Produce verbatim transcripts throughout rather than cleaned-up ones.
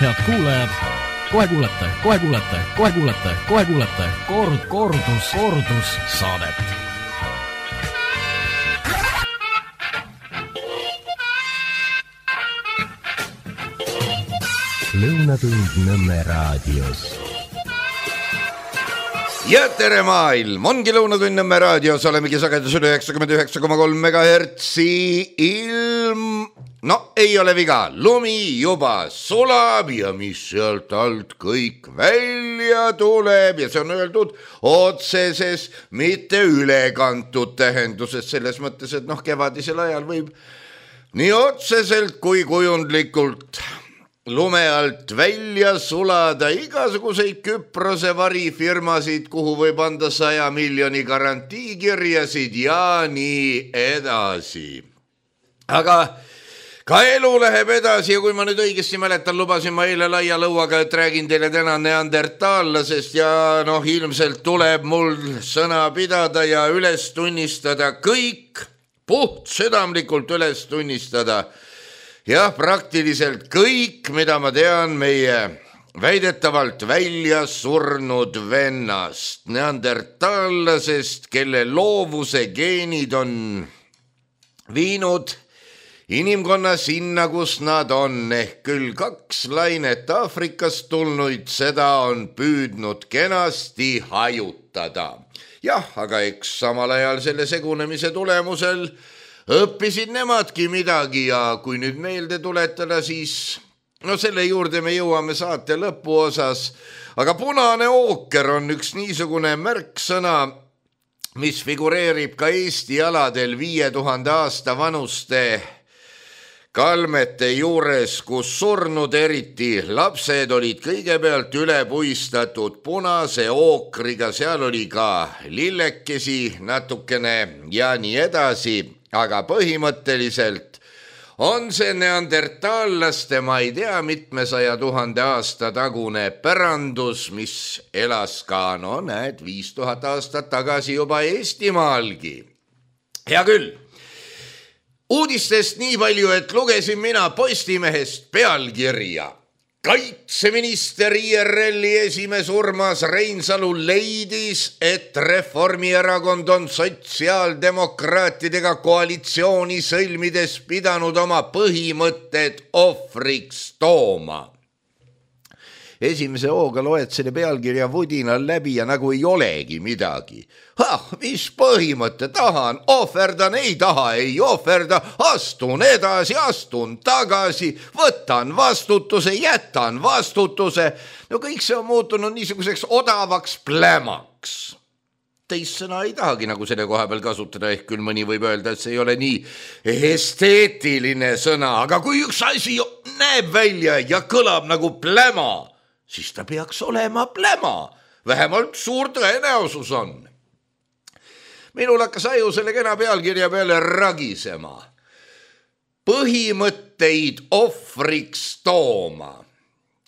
Head kuulajad, kohe kuulete, kohe kuulete, kohe kuulete, kohe kuulete kord, kordus, kordus saadet. Lõunatund Nõmme raadios. Ja tere maailm, ongi Lõunatund Nõmme raadios, olemegi sagedusel üheksakümmend üheksa koma kolm megahertsi ilm. No ei ole viga, lumi juba sulab ja mis sealt alt kõik välja tuleb ja see on öeldud otseses, mitte ülekantud tähenduses, selles mõttes, et noh, kevadisel ajal võib nii otseselt kui kujundlikult lume alt välja sulada igasuguseid Küprose varifirmasid, kuhu võib anda saja miljoni garantiikirjasid ja nii edasi. Aga ka elu läheb edasi ja kui ma nüüd õigesti mäletan, lubasin ma eile laia lõuaga, et räägin teile täna neandertaallasest ja noh, ilmselt tuleb mul sõna pidada ja üles tunnistada kõik, puht südamlikult üles tunnistada. Jah, praktiliselt kõik, mida ma tean meie väidetavalt välja surnud vennast, neandertaallasest, kelle loovuse geenid on viinud inimkonna sinna, kus nad on, ehk küll kaks lainet Aafrikast tulnuid, seda on püüdnud kenasti hajutada. Jah, aga eks samal ajal selle segunemise tulemusel õppisid nemadki midagi ja kui nüüd meelde tuletada, siis no selle juurde me jõuame saate lõpuosas, aga punane ooker on üks niisugune märksõna, mis figureerib ka Eesti aladel viie tuhande aasta vanuste kalmete juures, kus surnud eriti lapsed olid kõigepealt üle puistatud punase ookriga, seal oli ka lillekesi natukene ja nii edasi, aga põhimõtteliselt on see neandertaallaste, ma ei tea, mitmesaja tuhande aasta tagune pärandus, mis elas ka, no näed, viis tuhat aastat tagasi juba Eestimaalgi. Hea küll. Uudistest nii palju, et lugesin mina Postimehest pealkirja. Kaitseminister I R L-i esimees Urmas Reinsalu leidis, et Reformierakond on sotsiaaldemokraatidega koalitsiooni sõlmides pidanud oma põhimõtted ohvriks tooma. Esimese hooga loed selle pealkirja vudinal läbi ja nagu ei olegi midagi. Ah, mis põhimõte, tahan, ohverdan, ei taha, ei ohverda, astun edasi, astun tagasi, võtan vastutuse, jätan vastutuse. No kõik see on muutunud niisuguseks odavaks plämaks. Teist sõna ei tahagi nagu selle koha peal kasutada, ehk küll mõni võib öelda, et see ei ole nii esteetiline sõna, aga kui üks asi näeb välja ja kõlab nagu pläma, siis ta peaks olema pläma. Vähemalt suur tõenäosus on. Minul hakkas aju selle kena pealkirja peale ragisema. Põhimõtteid ohvriks tooma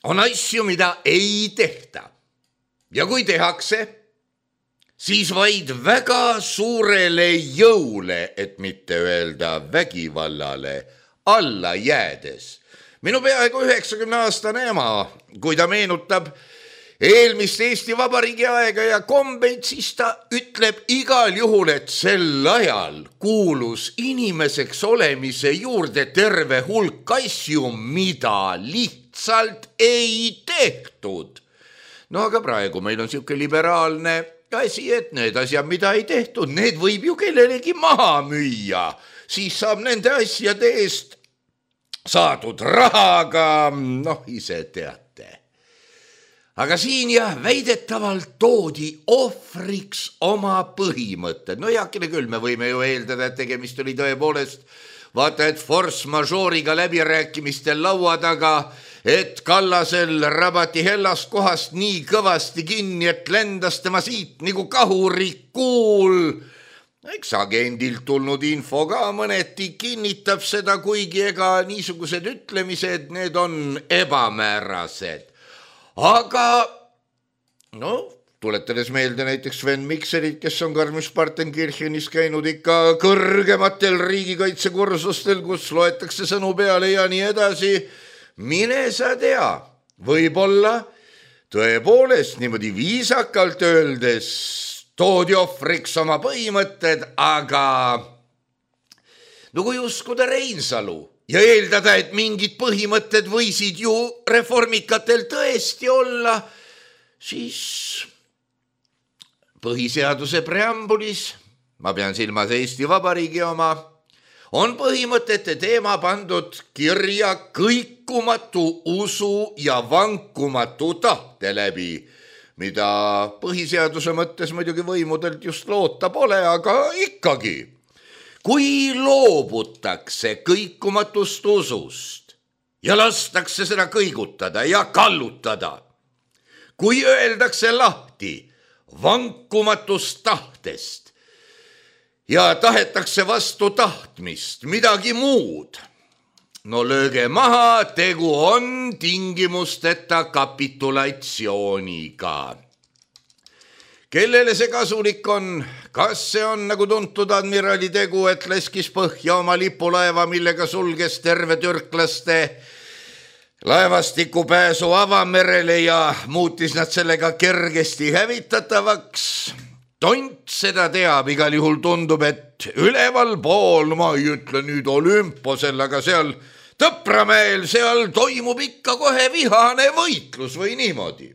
on asju, mida ei tehta. Ja kui tehakse, siis vaid väga suurele jõule, et mitte öelda vägivallale, alla jäädes. Minu peaaegu üheksakümne aastane ema, kui ta meenutab eelmist Eesti Vabariigi aega ja kombeid, siis ta ütleb igal juhul, et sel ajal kuulus inimeseks olemise juurde terve hulk asju, mida lihtsalt ei tehtud. No aga praegu meil on siuke liberaalne asi, et need asjad, mida ei tehtud, need võib ju kellelegi maha müüa. Siis saab nende asjade eest saadud rahaga, noh, ise teate. Aga siin jah, väidetavalt toodi ohvriks oma põhimõtted. No heakene küll, me võime ju eeldada, et tegemist oli tõepoolest, vaata, et force majeure'iga läbirääkimistel laua taga, et Kallasel rabati hellast kohast nii kõvasti kinni, et lendas tema siit nagu kahurikuul. Eks agendilt tulnud info ka mõneti kinnitab seda, kuigi ega niisugused ütlemised, need on ebamäärased. Aga, no, tuletades meelde näiteks Sven Mikserit, kes on Garmisch-Partenkirchenis käinud ikka kõrgematel riigikaitsekursustel, kus loetakse sõnu peale ja nii edasi, mine sa tea, võib-olla tõepoolest niimoodi viisakalt öeldes toodi ohvriks oma põhimõtted, aga no kui uskuda Reinsalu ja eeldada, et mingid põhimõtted võisid ju reformikatel tõesti olla, siis põhiseaduse preambulis, ma pean silmas Eesti Vabariigi oma, on põhimõtete teema pandud kirja kõikumatu usu ja vankumatu tahte läbi, mida põhiseaduse mõttes muidugi võimudelt just loota pole, aga ikkagi. Kui loobutakse kõikumatust usust ja lastakse seda kõigutada ja kallutada, kui öeldakse lahti vankumatust tahtest ja tahetakse vastu tahtmist midagi muud, no lööge maha, tegu on tingimusteta kapitulatsiooniga. Kellele see kasulik on? Kas see on nagu tuntud admirali tegu, et leskis põhja oma lipulaeva, millega sulges terve türklaste laevastiku pääsu avamerele ja muutis nad sellega kergesti hävitatavaks? Tont seda teab, igal juhul tundub, et üleval pool, ma ei ütle nüüd Olümposel, aga seal Tõpramäel, seal toimub ikka kohe vihane võitlus või niimoodi.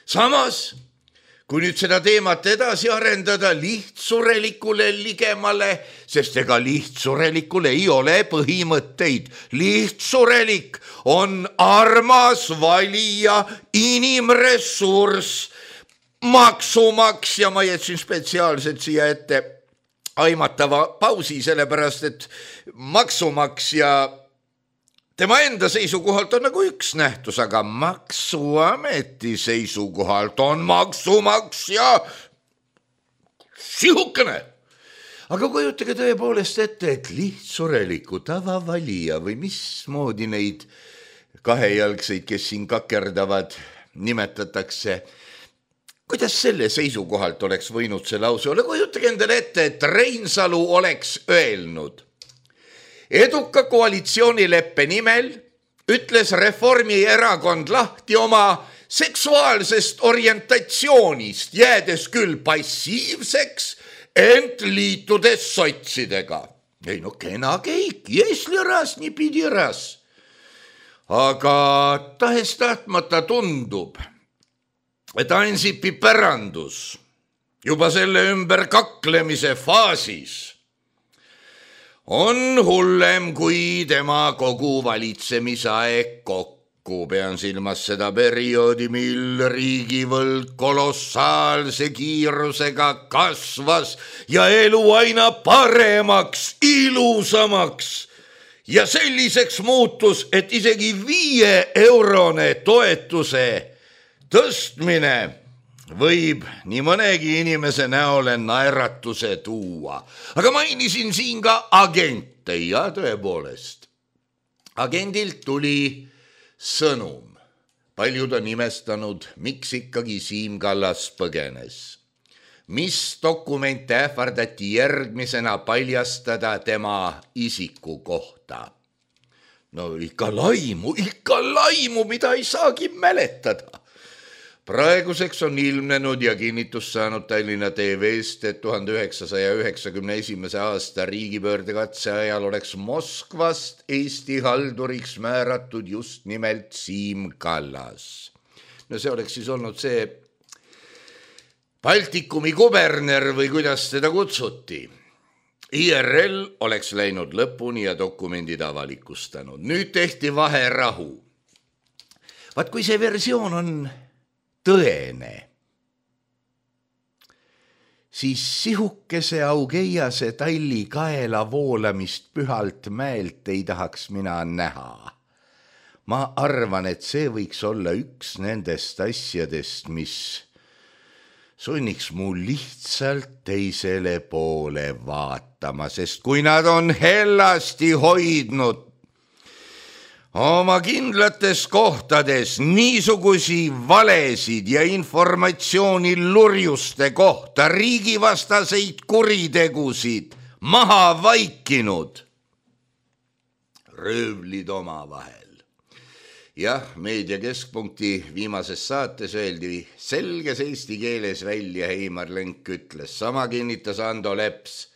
Samas, kui nüüd seda teemat edasi arendada lihtsurelikule ligemale, sest ega lihtsurelikul ei ole põhimõtteid. Lihtsurelik on armas valija, inimressurss, maksumaksja. Ma jätsin spetsiaalselt siia ette aimatava pausi, sellepärast et maksumaksja tema enda seisukohalt on nagu üks nähtus, aga maksuameti seisukohalt on maksumaksja sihukene. Aga kujutage tõepoolest ette, et lihtsureliku tavavalija või mismoodi neid kahejalgseid, kes siin kakerdavad, nimetatakse, kuidas selle seisukohalt oleks võinud see lause olla? Kujutage endale ette, et Reinsalu oleks öelnud: eduka koalitsioonileppe nimel ütles Reformierakond lahti oma seksuaalsest orientatsioonist, jäädes küll passiivseks, ent liitudes sotsidega. Ei no kena keik, jesli ras, nii pidi ras. Aga tahes tahtmata tundub, et Ansipi pärandus juba selle ümber kaklemise faasis on hullem kui tema kogu valitsemisaeg kokku. Pean silmas seda perioodi, mil riigivõlg kolossaalse kiirusega kasvas ja elu aina paremaks, ilusamaks ja selliseks muutus, et isegi viie eurone toetuse tõstmine võib nii mõnegi inimese näole naeratuse tuua. Aga mainisin siin ka agente ja tõepoolest. Agendilt tuli sõnum. Paljud on imestanud, miks ikkagi Siim Kallas põgenes. Mis dokumente ähvardati järgmisena paljastada tema isiku kohta? No ikka laimu, ikka laimu, mida ei saagi mäletada. Praeguseks on ilmnenud ja kinnitust saanud Tallinna T V-st, et tuhande üheksasaja üheksakümne esimese aasta riigipöördekatse ajal oleks Moskvast Eesti halduriks määratud just nimelt Siim Kallas. No see oleks siis olnud see Baltikumi kuberner või kuidas teda kutsuti. I R L oleks läinud lõpuni ja dokumendid avalikustanud. Nüüd tehti vaherahu. Vaat kui see versioon on tõene, siis sihukese augeiase talli kaela voolamist pühalt mäelt ei tahaks mina näha. Ma arvan, et see võiks olla üks nendest asjadest, mis sunniks mu lihtsalt teisele poole vaatama, sest kui nad on hellasti hoidnud oma kindlates kohtades niisugusi valesid ja informatsiooni lurjuste kohta, riigivastaseid kuritegusid maha vaikinud, röövlid omavahel jah, Meedia Keskpunkti viimases saates öeldi selges eesti keeles välja, Heimar Lenk ütles, sama kinnitas Ando Leps.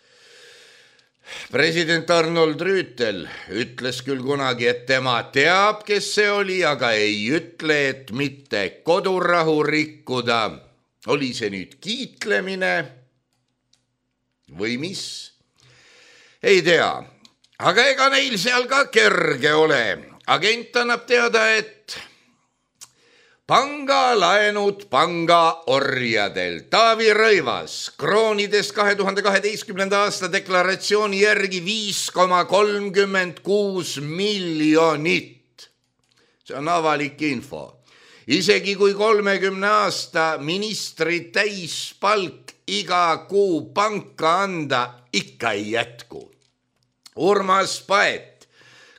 President Arnold Rüütel ütles küll kunagi, et tema teab, kes see oli, aga ei ütle, et mitte kodurahu rikkuda. Oli see nüüd kiitlemine või mis? Ei tea, aga ega neil seal ka kerge ole. Agent annab teada, et pangalaenud panga orjadel. Taavi Rõivas kroonides kahe tuhande kaheteistkümnenda aasta deklaratsiooni järgi viis koma kolmkümmend kuus miljonit. See on avalik info. Isegi kui kolmekümne aasta ministri täispalk iga kuu panka anda, ikka ei jätku. Urmas Paet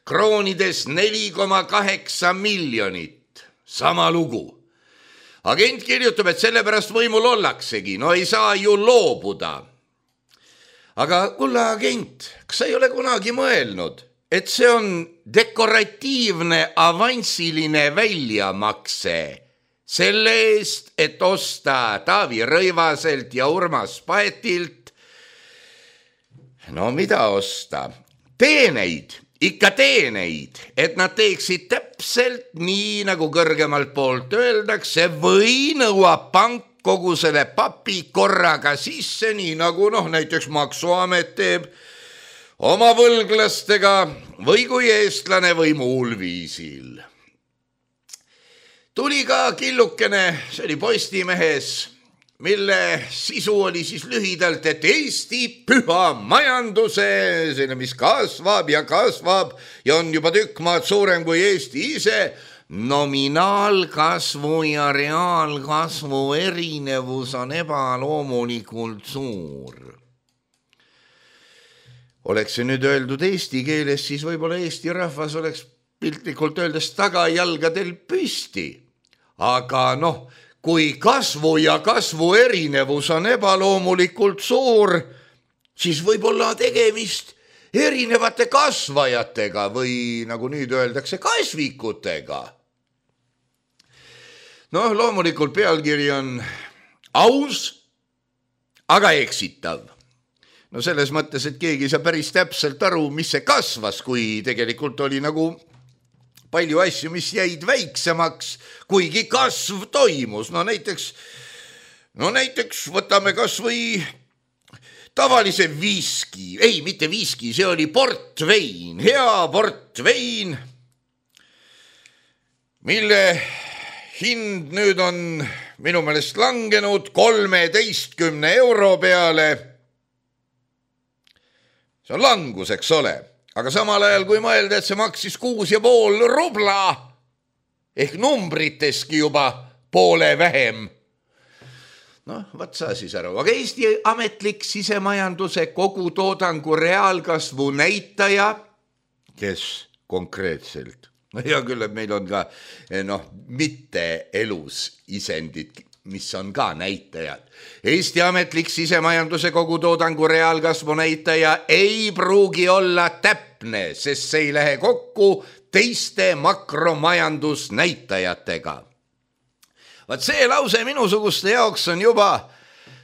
kroonides neli koma kaheksa miljonit. Sama lugu. Agent kirjutab, et sellepärast võimul ollaksegi. No ei saa ju loobuda. Aga kulla agent, kas sa ei ole kunagi mõelnud, et see on dekoratiivne avansiline väljamakse selle eest, et osta Taavi Rõivaselt ja Urmas Paetilt? No mida osta? Teeneid. Ikka teeneid, et nad teeksid täpselt nii, nagu kõrgemalt poolt öeldakse, või nõuab pank kogu selle papi korraga sisse, nii nagu noh, näiteks Maksuamet teeb oma võlglastega või kui eestlane või muul viisil. Tuli ka killukene, see oli Postimehes, mille sisu oli siis lühidalt, et Eesti püha majanduse, selle mis kasvab ja kasvab ja on juba tükk maad suurem kui Eesti ise, nominaalkasvu ja reaalkasvu erinevus on ebaloomulikult suur. Oleks see nüüd öeldud eesti keeles, siis võib-olla Eesti rahvas oleks piltlikult öeldes tagajalgadel püsti. Aga noh, kui kasvu ja kasvu erinevus on ebaloomulikult suur, siis võib olla tegemist erinevate kasvajatega või nagu nüüd öeldakse, kasvikutega. Noh, loomulikult pealkiri on aus, aga eksitav. No selles mõttes, et keegi ei saa päris täpselt aru, mis see kasvas, kui tegelikult oli nagu palju asju, mis jäid väiksemaks, kuigi kasv toimus. No näiteks, no näiteks võtame kas või tavalise viski. Ei, mitte viski, see oli portvein, hea portvein, mille hind nüüd on minu meelest langenud kolmeteistkümne euro peale. See on langus, eks ole. Aga samal ajal, kui mõelda, et see maksis kuus ja pool rubla, ehk numbriteski juba poole vähem. Noh, võt sa siis aru. Aga Eesti ametlik sisemajanduse kogutoodangu reaalkasvu näitaja, kes konkreetselt, no hea küll, et meil on ka noh, mitte elus isendid, mis on ka näitajad. Eesti ametlik sisemajanduse kogutoodangu reaalkasvu näitaja ei pruugi olla täpne, sest see ei lähe kokku teiste makromajandusnäitajatega. Vaat see lause minusuguste jaoks on juba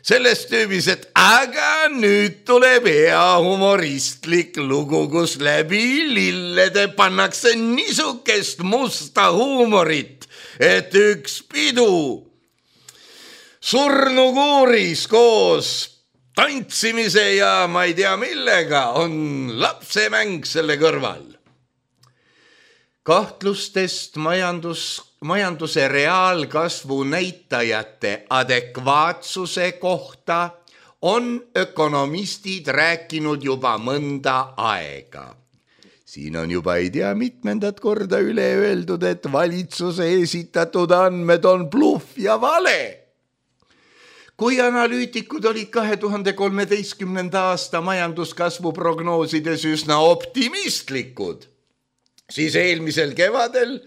sellest tüübis, et aga nüüd tuleb hea humoristlik lugu, kus läbi lillede pannakse nisukest musta huumorit, et üks pidu surnukuuris koos tantsimise ja ma ei tea millega on lapsemäng selle kõrval. Kahtlustest majandus, majanduse reaalkasvu näitajate adekvaatsuse kohta on ökonomistid rääkinud juba mõnda aega. Siin on juba ei tea mitmendat korda üle öeldud, et valitsuse esitatud andmed on bluff ja vale. Kui analüütikud olid kahe tuhande kolmeteistkümnenda aasta majanduskasvu prognoosides üsna optimistlikud, siis eelmisel kevadel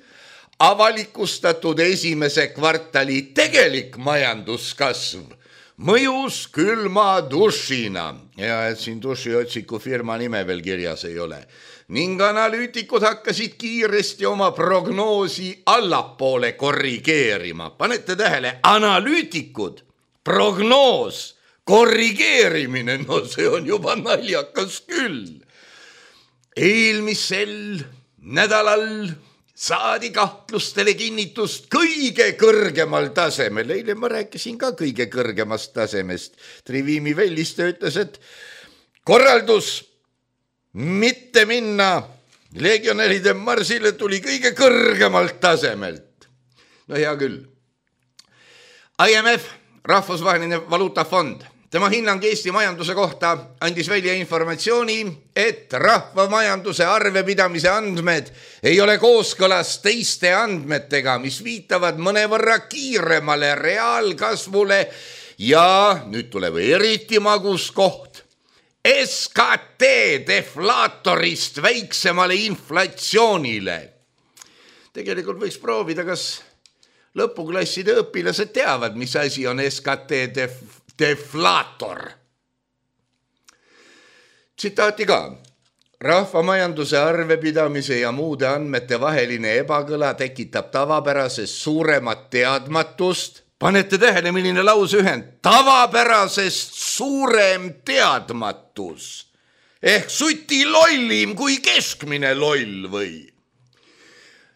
avalikustatud esimese kvartali tegelik majanduskasv mõjus külma dušina. ja et siin dušiotsiku firma nime veel kirjas ei ole. Ning analüütikud hakkasid kiiresti oma prognoosi allapoole korrigeerima. Panete tähele, analüütikud, prognoos, korrigeerimine, no see on juba naljakas küll. Eelmisel nädalal saadi kahtlustele kinnitust kõige kõrgemal tasemel. Eile ma rääkisin ka kõige kõrgemast tasemest. Trivimi Velliste ütles, et korraldus mitte minna legionäride marsile tuli kõige kõrgemalt tasemelt. No hea küll. I M F, Rahvusvaheline Valuutafond, tema hinnang Eesti majanduse kohta andis välja informatsiooni, et rahvamajanduse arvepidamise andmed ei ole kooskõlas teiste andmetega, mis viitavad mõnevõrra kiiremale reaalkasvule ja nüüd tuleb eriti magus koht. S K T deflaatorist väiksemale inflatsioonile. Tegelikult võiks proovida, kas lõpuklasside õpilased teavad, mis asi on S K T def- deflaator. Tsitaati ka. Rahvamajanduse arvepidamise ja muude andmete vaheline ebakõla tekitab tavapärasest suuremat teadmatust. Panete tähele, milline lauseühend? Tavapärasest suurem teadmatus. Ehk suti lollim kui keskmine loll või?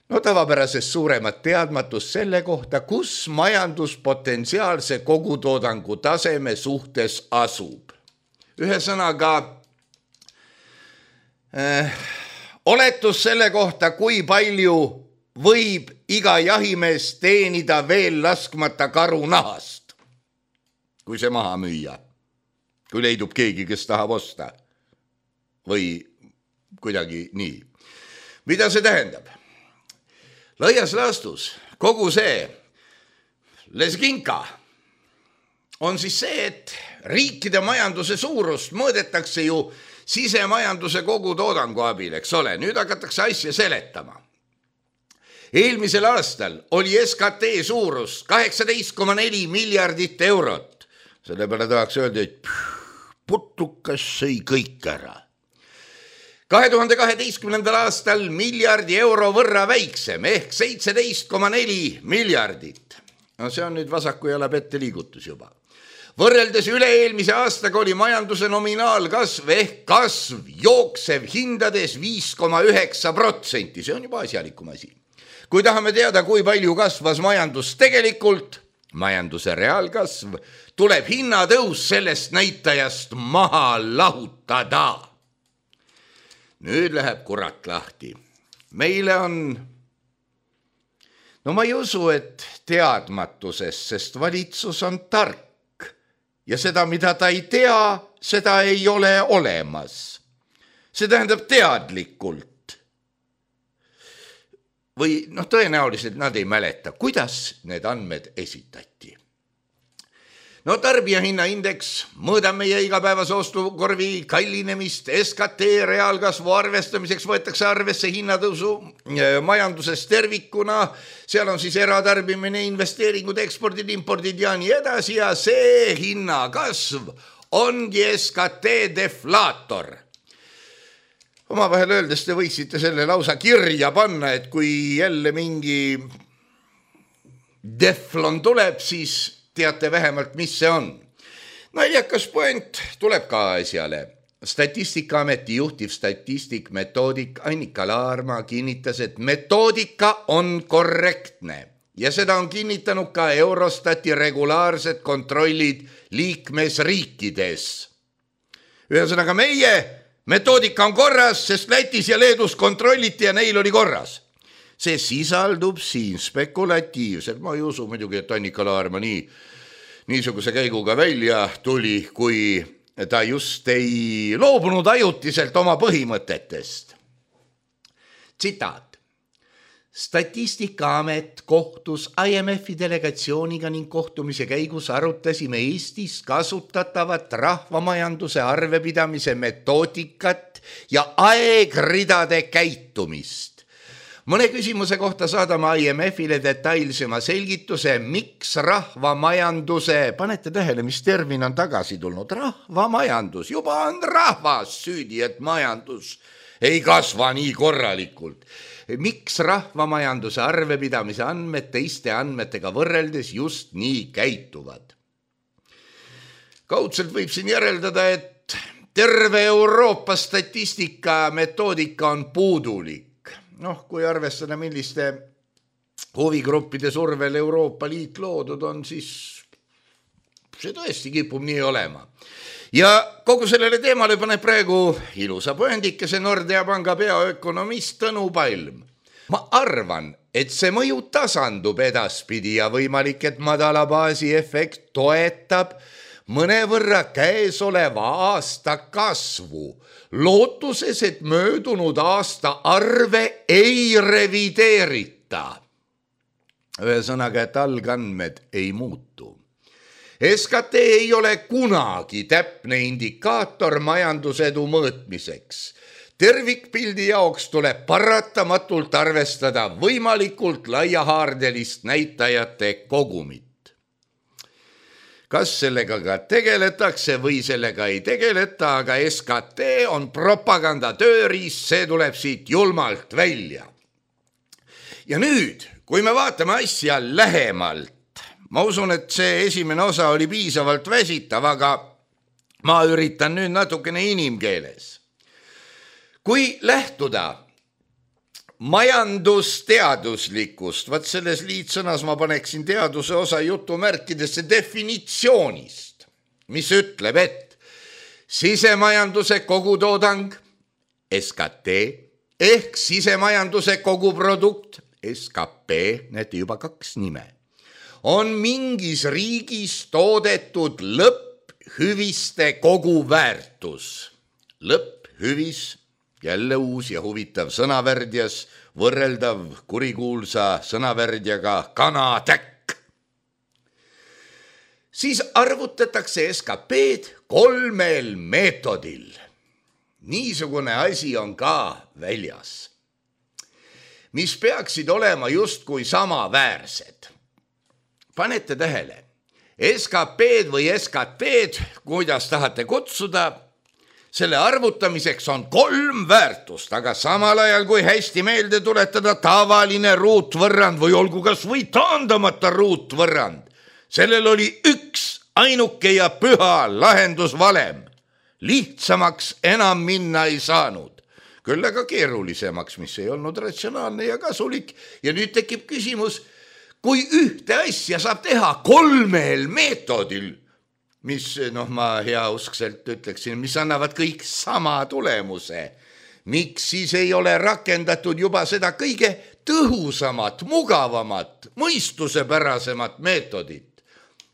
No tavapärasest suuremat teadmatust selle kohta, kus majandus potentsiaalse kogutoodangu taseme suhtes asub. Ühesõnaga, äh, oletus selle kohta, kui palju võib iga jahimees teenida veel laskmata karu nahast, kui see maha müüa, kui leidub keegi, kes tahab osta või kuidagi nii. Mida see tähendab? Laias laastus kogu see lesginka on siis see, et riikide majanduse suurust mõõdetakse ju sisemajanduse kogutoodangu abil, eks ole. Nüüd hakatakse asja seletama. Eelmisel aastal oli S K T suurus kaheksateist koma neli miljardit eurot. Selle peale tahaks öelda, et putukas sõi kõik ära. kahe tuhande kaheteistkümnendal aastal miljardi euro võrra väiksem ehk seitseteist koma neli miljardit. No see on nüüd vasaku jala pette liigutus juba. Võrreldes üle-eelmise aastaga oli majanduse nominaalkasv ehk kasv jooksev hindades viis koma üheksa protsenti. See on juba asjalikum asi. Kui tahame teada, kui palju kasvas majandus tegelikult, majanduse reaalkasv, tuleb hinnatõus sellest näitajast maha lahutada. Nüüd läheb kurat lahti. Meile on, no ma ei usu, et teadmatuses, sest valitsus on tark ja seda, mida ta ei tea, seda ei ole olemas. See tähendab teadlikult. Või noh, tõenäoliselt nad ei mäleta, kuidas need andmed esitati. No tarbijahinnaindeks mõõdab meie igapäevase ostukorvi kallinemist, S K T reaalkasvu arvestamiseks võetakse arvesse hinnatõusu majanduses tervikuna, seal on siis eratarbimine, investeeringud, ekspordid, impordid ja nii edasi ja see hinnakasv ongi S K T deflaator. Oma vahel öeldes te võiksite selle lausa kirja panna, et kui jälle mingi deflon tuleb, siis teate vähemalt, mis see on. Naljakas point tuleb ka asjale. Statistikaameti juhtiv statistik metoodik Annika Laarma kinnitas, et metoodika on korrektne ja seda on kinnitanud ka Eurostati regulaarsed kontrollid liikmesriikides. Ühesõnaga meie metoodika on korras, sest Lätis ja Leedus kontrolliti ja neil oli korras. See sisaldub siin spekulatiivselt. Ma ei usu muidugi, et Annika Laarma nii, niisuguse käiguga välja tuli, kui ta just ei loobunud ajutiselt oma põhimõtetest. Tsitaat. Statistikaamet kohtus I M F-i delegatsiooniga ning kohtumise käigus arutasime Eestis kasutatavat rahvamajanduse arvepidamise metoodikat ja aegridade käitumist. Mõne küsimuse kohta saadame I M F-ile detailsema selgituse, miks rahvamajanduse, panete tähele, mis termin on tagasi tulnud, rahvamajandus, juba on rahvas süüdi, et majandus ei kasva nii korralikult. Miks rahvamajanduse arvepidamise andmed teiste andmetega võrreldes just nii käituvad? Kaudselt võib siin järeldada, et terve Euroopa statistika metoodika on puudulik. Noh, kui arvestada, milliste huvigruppide survel Euroopa Liit loodud on, siis see tõesti kipub nii olema. Ja kogu sellele teemale paneb praegu ilusa pööndikese Nordea panga peaökonomist Tõnu Palm. Ma arvan, et see mõju tasandub edaspidi ja võimalik, et madala baasi efekt toetab mõnevõrra käesoleva aasta kasvu, lootuses, et möödunud aasta arve ei revideerita. Ühesõnaga, et algandmed ei muutu. S K T ei ole kunagi täpne indikaator majandusedu mõõtmiseks. Tervikpildi jaoks tuleb paratamatult arvestada võimalikult laiahaardelist näitajate kogumit. Kas sellega ka tegeletakse või sellega ei tegeleta, aga S K T on propaganda tööriist, see tuleb siit julmalt välja. Ja nüüd, kui me vaatame asja lähemalt, ma usun, et see esimene osa oli piisavalt väsitav, aga ma üritan nüüd natukene inimkeeles. Kui lähtuda majandusteaduslikust, vaat selles liitsõnas ma paneksin teaduse osa jutumärkidesse definitsioonist, mis ütleb, et sisemajanduse kogutoodang, S K T, ehk sisemajanduse koguprodukt, S K P, näete juba kaks nime, on mingis riigis toodetud lõpphüviste koguväärtus. Lõpphüvis, jälle uus ja huvitav sõnavärdjas, võrreldav kurikuulsa sõnavärdjaga kanatäkk. Siis arvutatakse S K P-d kolmel meetodil. Niisugune asi on ka väljas, mis peaksid olema justkui samaväärsed. Panete tähele, S K P-d või S K T-d, kuidas tahate kutsuda, selle arvutamiseks on kolm väärtust, aga samal ajal, kui hästi meelde tuletada tavaline ruutvõrrand või olgu kas või taandamata ruutvõrrand, sellel oli üks ainuke ja püha lahendusvalem. Lihtsamaks enam minna ei saanud, küll aga keerulisemaks, mis ei olnud ratsionaalne ja kasulik. Ja nüüd tekib küsimus, kui ühte asja saab teha kolmel meetodil, mis, noh, ma heauskselt ütleksin, mis annavad kõik sama tulemuse. Miks siis ei ole rakendatud juba seda kõige tõhusamat, mugavamat, mõistusepärasemat meetodit?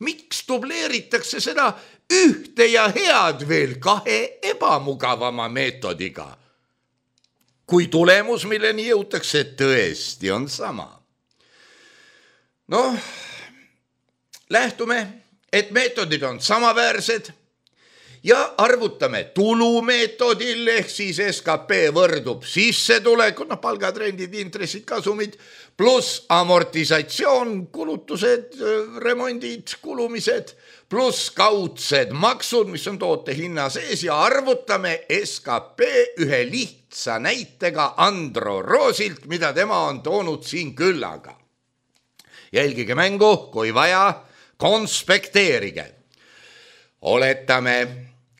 Miks dubleeritakse seda ühte ja head veel kahe ebamugavama meetodiga? Kui tulemus, milleni jõutakse, tõesti on sama. Noh, lähtume, et meetodid on samaväärsed ja arvutame tulumeetodil, ehk siis S K P võrdub sissetulek, no palgatrendid, intressid, kasumid, pluss amortisatsioon, kulutused, remondid, kulumised, pluss kaudsed maksud, mis on toote hinna sees ja arvutame S K P ühe lihtsa näitega Andro Roosilt, mida tema on toonud siin küllaga. Jälgige mängu, kui vaja, konspekteerige. Oletame,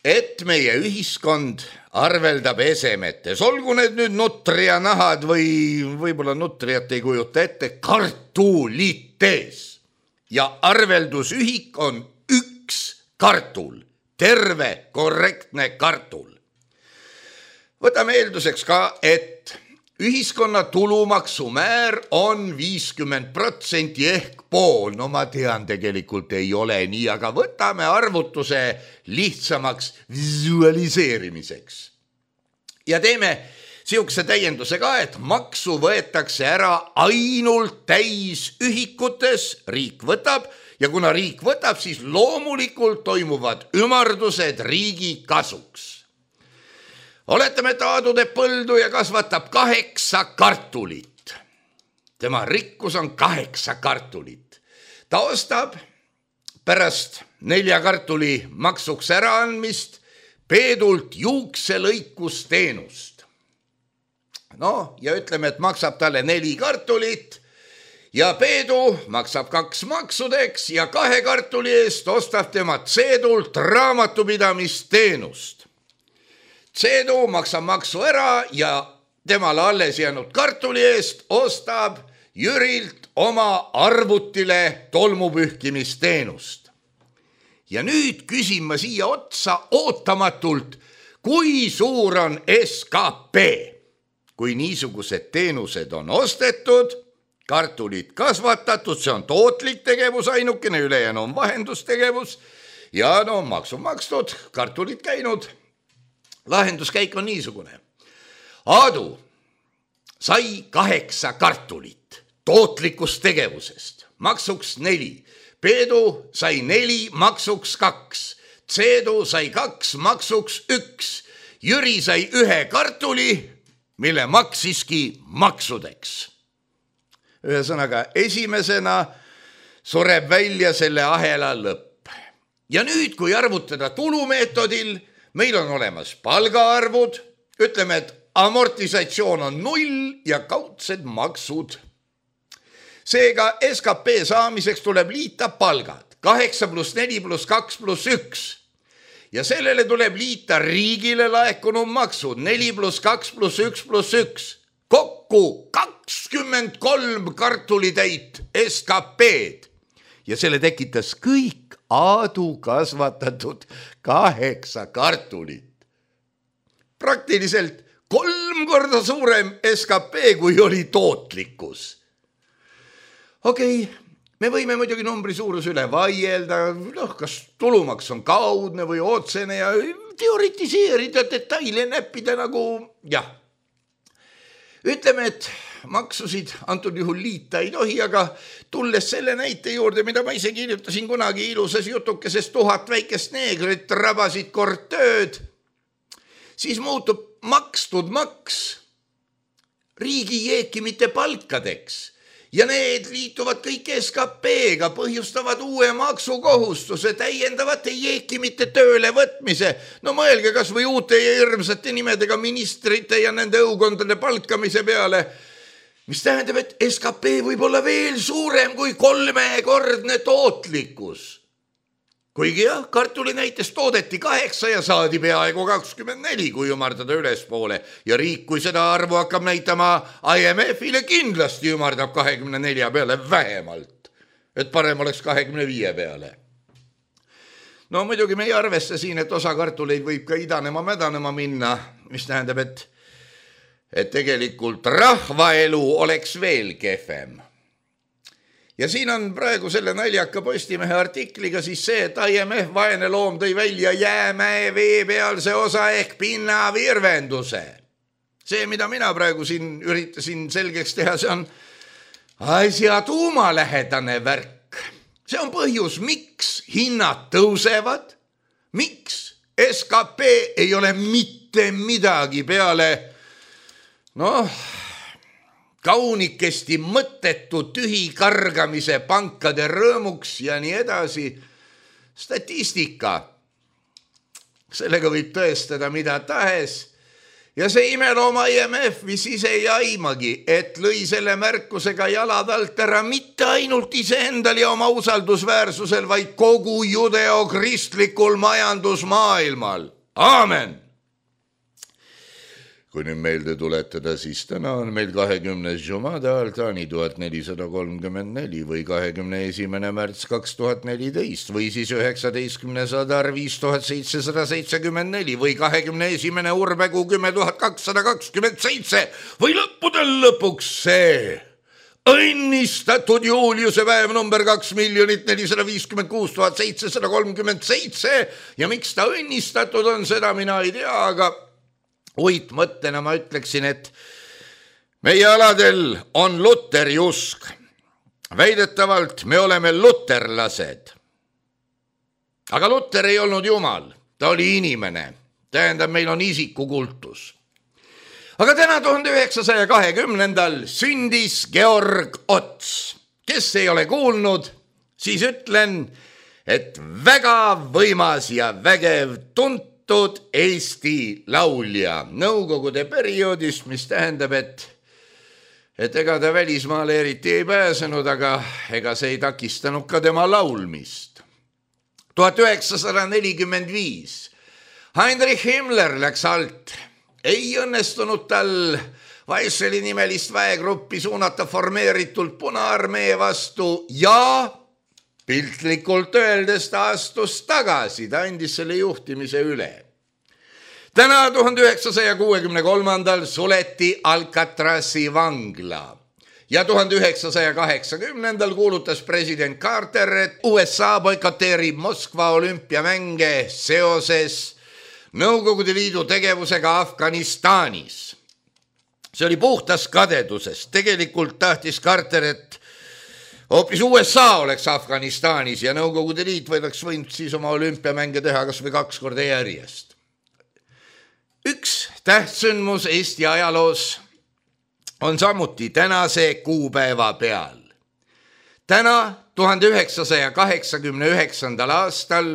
et meie ühiskond arveldab esemetes, olgu need nüüd nutria nahad või võib-olla nutriat ei kujuta ette, kartulites. Ja arveldusühik on üks kartul, terve, korrektne kartul. Võtame eelduseks ka, et ühiskonna tulumaksumäär on viiskümmend protsenti ehk pool. No ma tean, tegelikult ei ole nii, aga võtame arvutuse lihtsamaks visualiseerimiseks. Ja teeme siukse täienduse ka, et maksu võetakse ära ainult täisühikutes, riik võtab, ja kuna riik võtab, siis loomulikult toimuvad ümardused riigi kasuks. Oletame, et Aadu teeb põldu ja kasvatab kaheksa kartulit. tema rikkus on kaheksa kartulit. Ta ostab pärast nelja kartuli maksuks äraandmist Peedult juukselõikusteenust. No ja ütleme, et maksab talle neli kartulit ja Peedu maksab kaks maksudeks ja kahe kartuli eest ostab tema Tseedult raamatupidamisteenust. Tseedu maksab maksu ära ja temale alles jäänud kartuli eest ostab Jürilt oma arvutile tolmupühkimisteenust. Ja nüüd küsin ma siia otsa ootamatult, kui suur on S K P. Kui niisugused teenused on ostetud, kartulid kasvatatud, see on tootlik tegevus ainukene, ülejäänu on vahendustegevus ja no maksu makstud, kartulid käinud. Lahenduskäik on niisugune. Aadu sai kaheksa kartulit tootlikust tegevusest, maksuks neli. Peedu sai neli, maksuks kaks. Tseedu sai kaks, maksuks üks. Jüri sai ühe kartuli, mille maksiski maksudeks. Ühesõnaga, esimesena sureb välja selle ahela lõpp. Ja nüüd, kui arvutada tulumeetodil, meil on olemas palgaarvud, ütleme, et amortisatsioon on null ja kaudsed maksud. Seega S K P saamiseks tuleb liita palgad, kaheksa pluss neli pluss kaks pluss üks. Ja sellele tuleb liita riigile laekunud maksud, neli pluss kaks pluss üks pluss üks. Kokku kakskümmend kolm kartulitäit S K P-d. Ja selle tekitas kõik Aadu kasvatatud kaheksa kartulit. Praktiliselt kolm korda suurem S K P, kui oli tootlikkus. Okei, okay, me võime muidugi numbri suurus üle vaielda, noh, kas tulumaks on kaudne või otsene ja teoritiseerida, detaile näppida nagu, jah. Ütleme, et maksusid antud juhul liita ei tohi, aga tulles selle näite juurde, mida ma ise kirjutasin kunagi ilusas jutukeses tuhat väikest neegrit rabasid kord tööd, siis muutub makstud maks riigi jeekimite palkadeks. Ja need liituvad kõik S K P-ga, põhjustavad uue maksukohustuse, täiendavate jeekimite tööle võtmise. No mõelge kas või uute ja hirmsate nimedega ministrite ja nende õukondade palkamise peale, mis tähendab, et S K P võib olla veel suurem kui kolmekordne tootlikkus. Kuigi jah, kartuli näiteks toodeti kaheksa ja saadi peaaegu kakskümmend neli, kui ümardada ülespoole. Ja riik, kui seda arvu hakkab näitama I M F-ile, kindlasti ümardab kahekümne nelja peale vähemalt. Et parem oleks kahekümne viie peale. No muidugi me ei arvesta siin, et osa kartuleid võib ka idanema mädanema minna, mis tähendab, et, et tegelikult rahvaelu oleks veel kehvem. Ja siin on praegu selle naljaka Postimehe artikliga siis see, et I M F vaene loom tõi välja jäämäe veepealse osa ehk pinnavirvenduse. See, mida mina praegu siin üritasin selgeks teha, see on asja tuumalähedane värk. See on põhjus, miks hinnad tõusevad, miks S K P ei ole mitte midagi peale, noh, kaunikesti mõttetu tühi kargamise pankade rõõmuks ja nii edasi. Statistika. Sellega võib tõestada mida tahes. Ja see imelooma I M F vis ise ei aimagi, et lõi selle märkusega jalad alt ära mitte ainult iseendal ja oma usaldusväärsusel, vaid kogu judeokristlikul majandusmaailmal. Aamen! Kui nüüd meelde tuletada, siis täna on meil kahekümnes Jumada Altani tuhat nelisada kolmkümmend neli või kahekümne esimene märts kaks tuhat neliteist või siis üheksateistkümnes Adar viis tuhat seitsesada seitsekümmend neli või kahekümne esimene Urbekuu kümme tuhat kakssada kakskümmend seitse või lõppudel lõpuks see õnnistatud Juuliuse päev number kaks miljonit nelisada viiskümmend kuus tuhat seitsesada kolmkümmend seitse ja miks ta õnnistatud on, seda mina ei tea, aga uit mõttena ma ütleksin, et meie aladel on Luteri usk. Väidetavalt me oleme luterlased. Aga Luter ei olnud jumal, ta oli inimene. Tähendab, meil on isikukultus. aga täna tuhande üheksasaja kahekümnendal sündis Georg Ots. Kes ei ole kuulnud, siis ütlen, et väga võimas ja vägev tuntud Eesti laulja nõukogude perioodist, mis tähendab, et et ega ta välismaale eriti ei pääsenud, aga ega see ei takistanud ka tema laulmist. tuhat üheksasada nelikümmend viis Heinrich Himmler läks alt. Ei õnnestunud tal Weisseli nimelist väegruppi suunata formeeritult Punaarmee vastu ja piltlikult öeldes ta astus tagasi, ta andis selle juhtimise üle. Täna tuhande üheksasaja kuuekümne kolmandal suleti Alcatrazi vangla ja tuhande üheksasaja kaheksakümnendal kuulutas president Carter, et U S A boikoteerib Moskva olümpiamänge seoses Nõukogude Liidu tegevusega Afganistanis. See oli puhtas kadedusest. Tegelikult tahtis Carter, et hoopis U S A oleks Afganistanis ja Nõukogude Liit võidaks võinud siis oma olümpiamänge teha kas või kaks korda järjest. Üks tähtsündmus Eesti ajaloos on samuti tänase kuupäeva peal. Täna tuhande üheksasaja kaheksakümne üheksandal aastal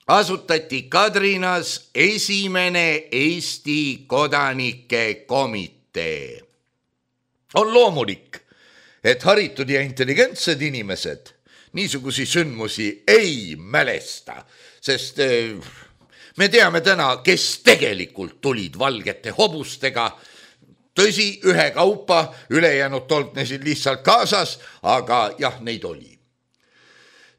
asutati Kadrinas esimene Eesti kodanike komitee. On loomulik, et haritud ja intelligentsed inimesed niisugusi sündmusi ei mälesta, sest me teame täna, kes tegelikult tulid valgete hobustega. Tõsi, ühe kaupa, ülejäänud tolpnesid lihtsalt kaasas, aga jah, neid oli.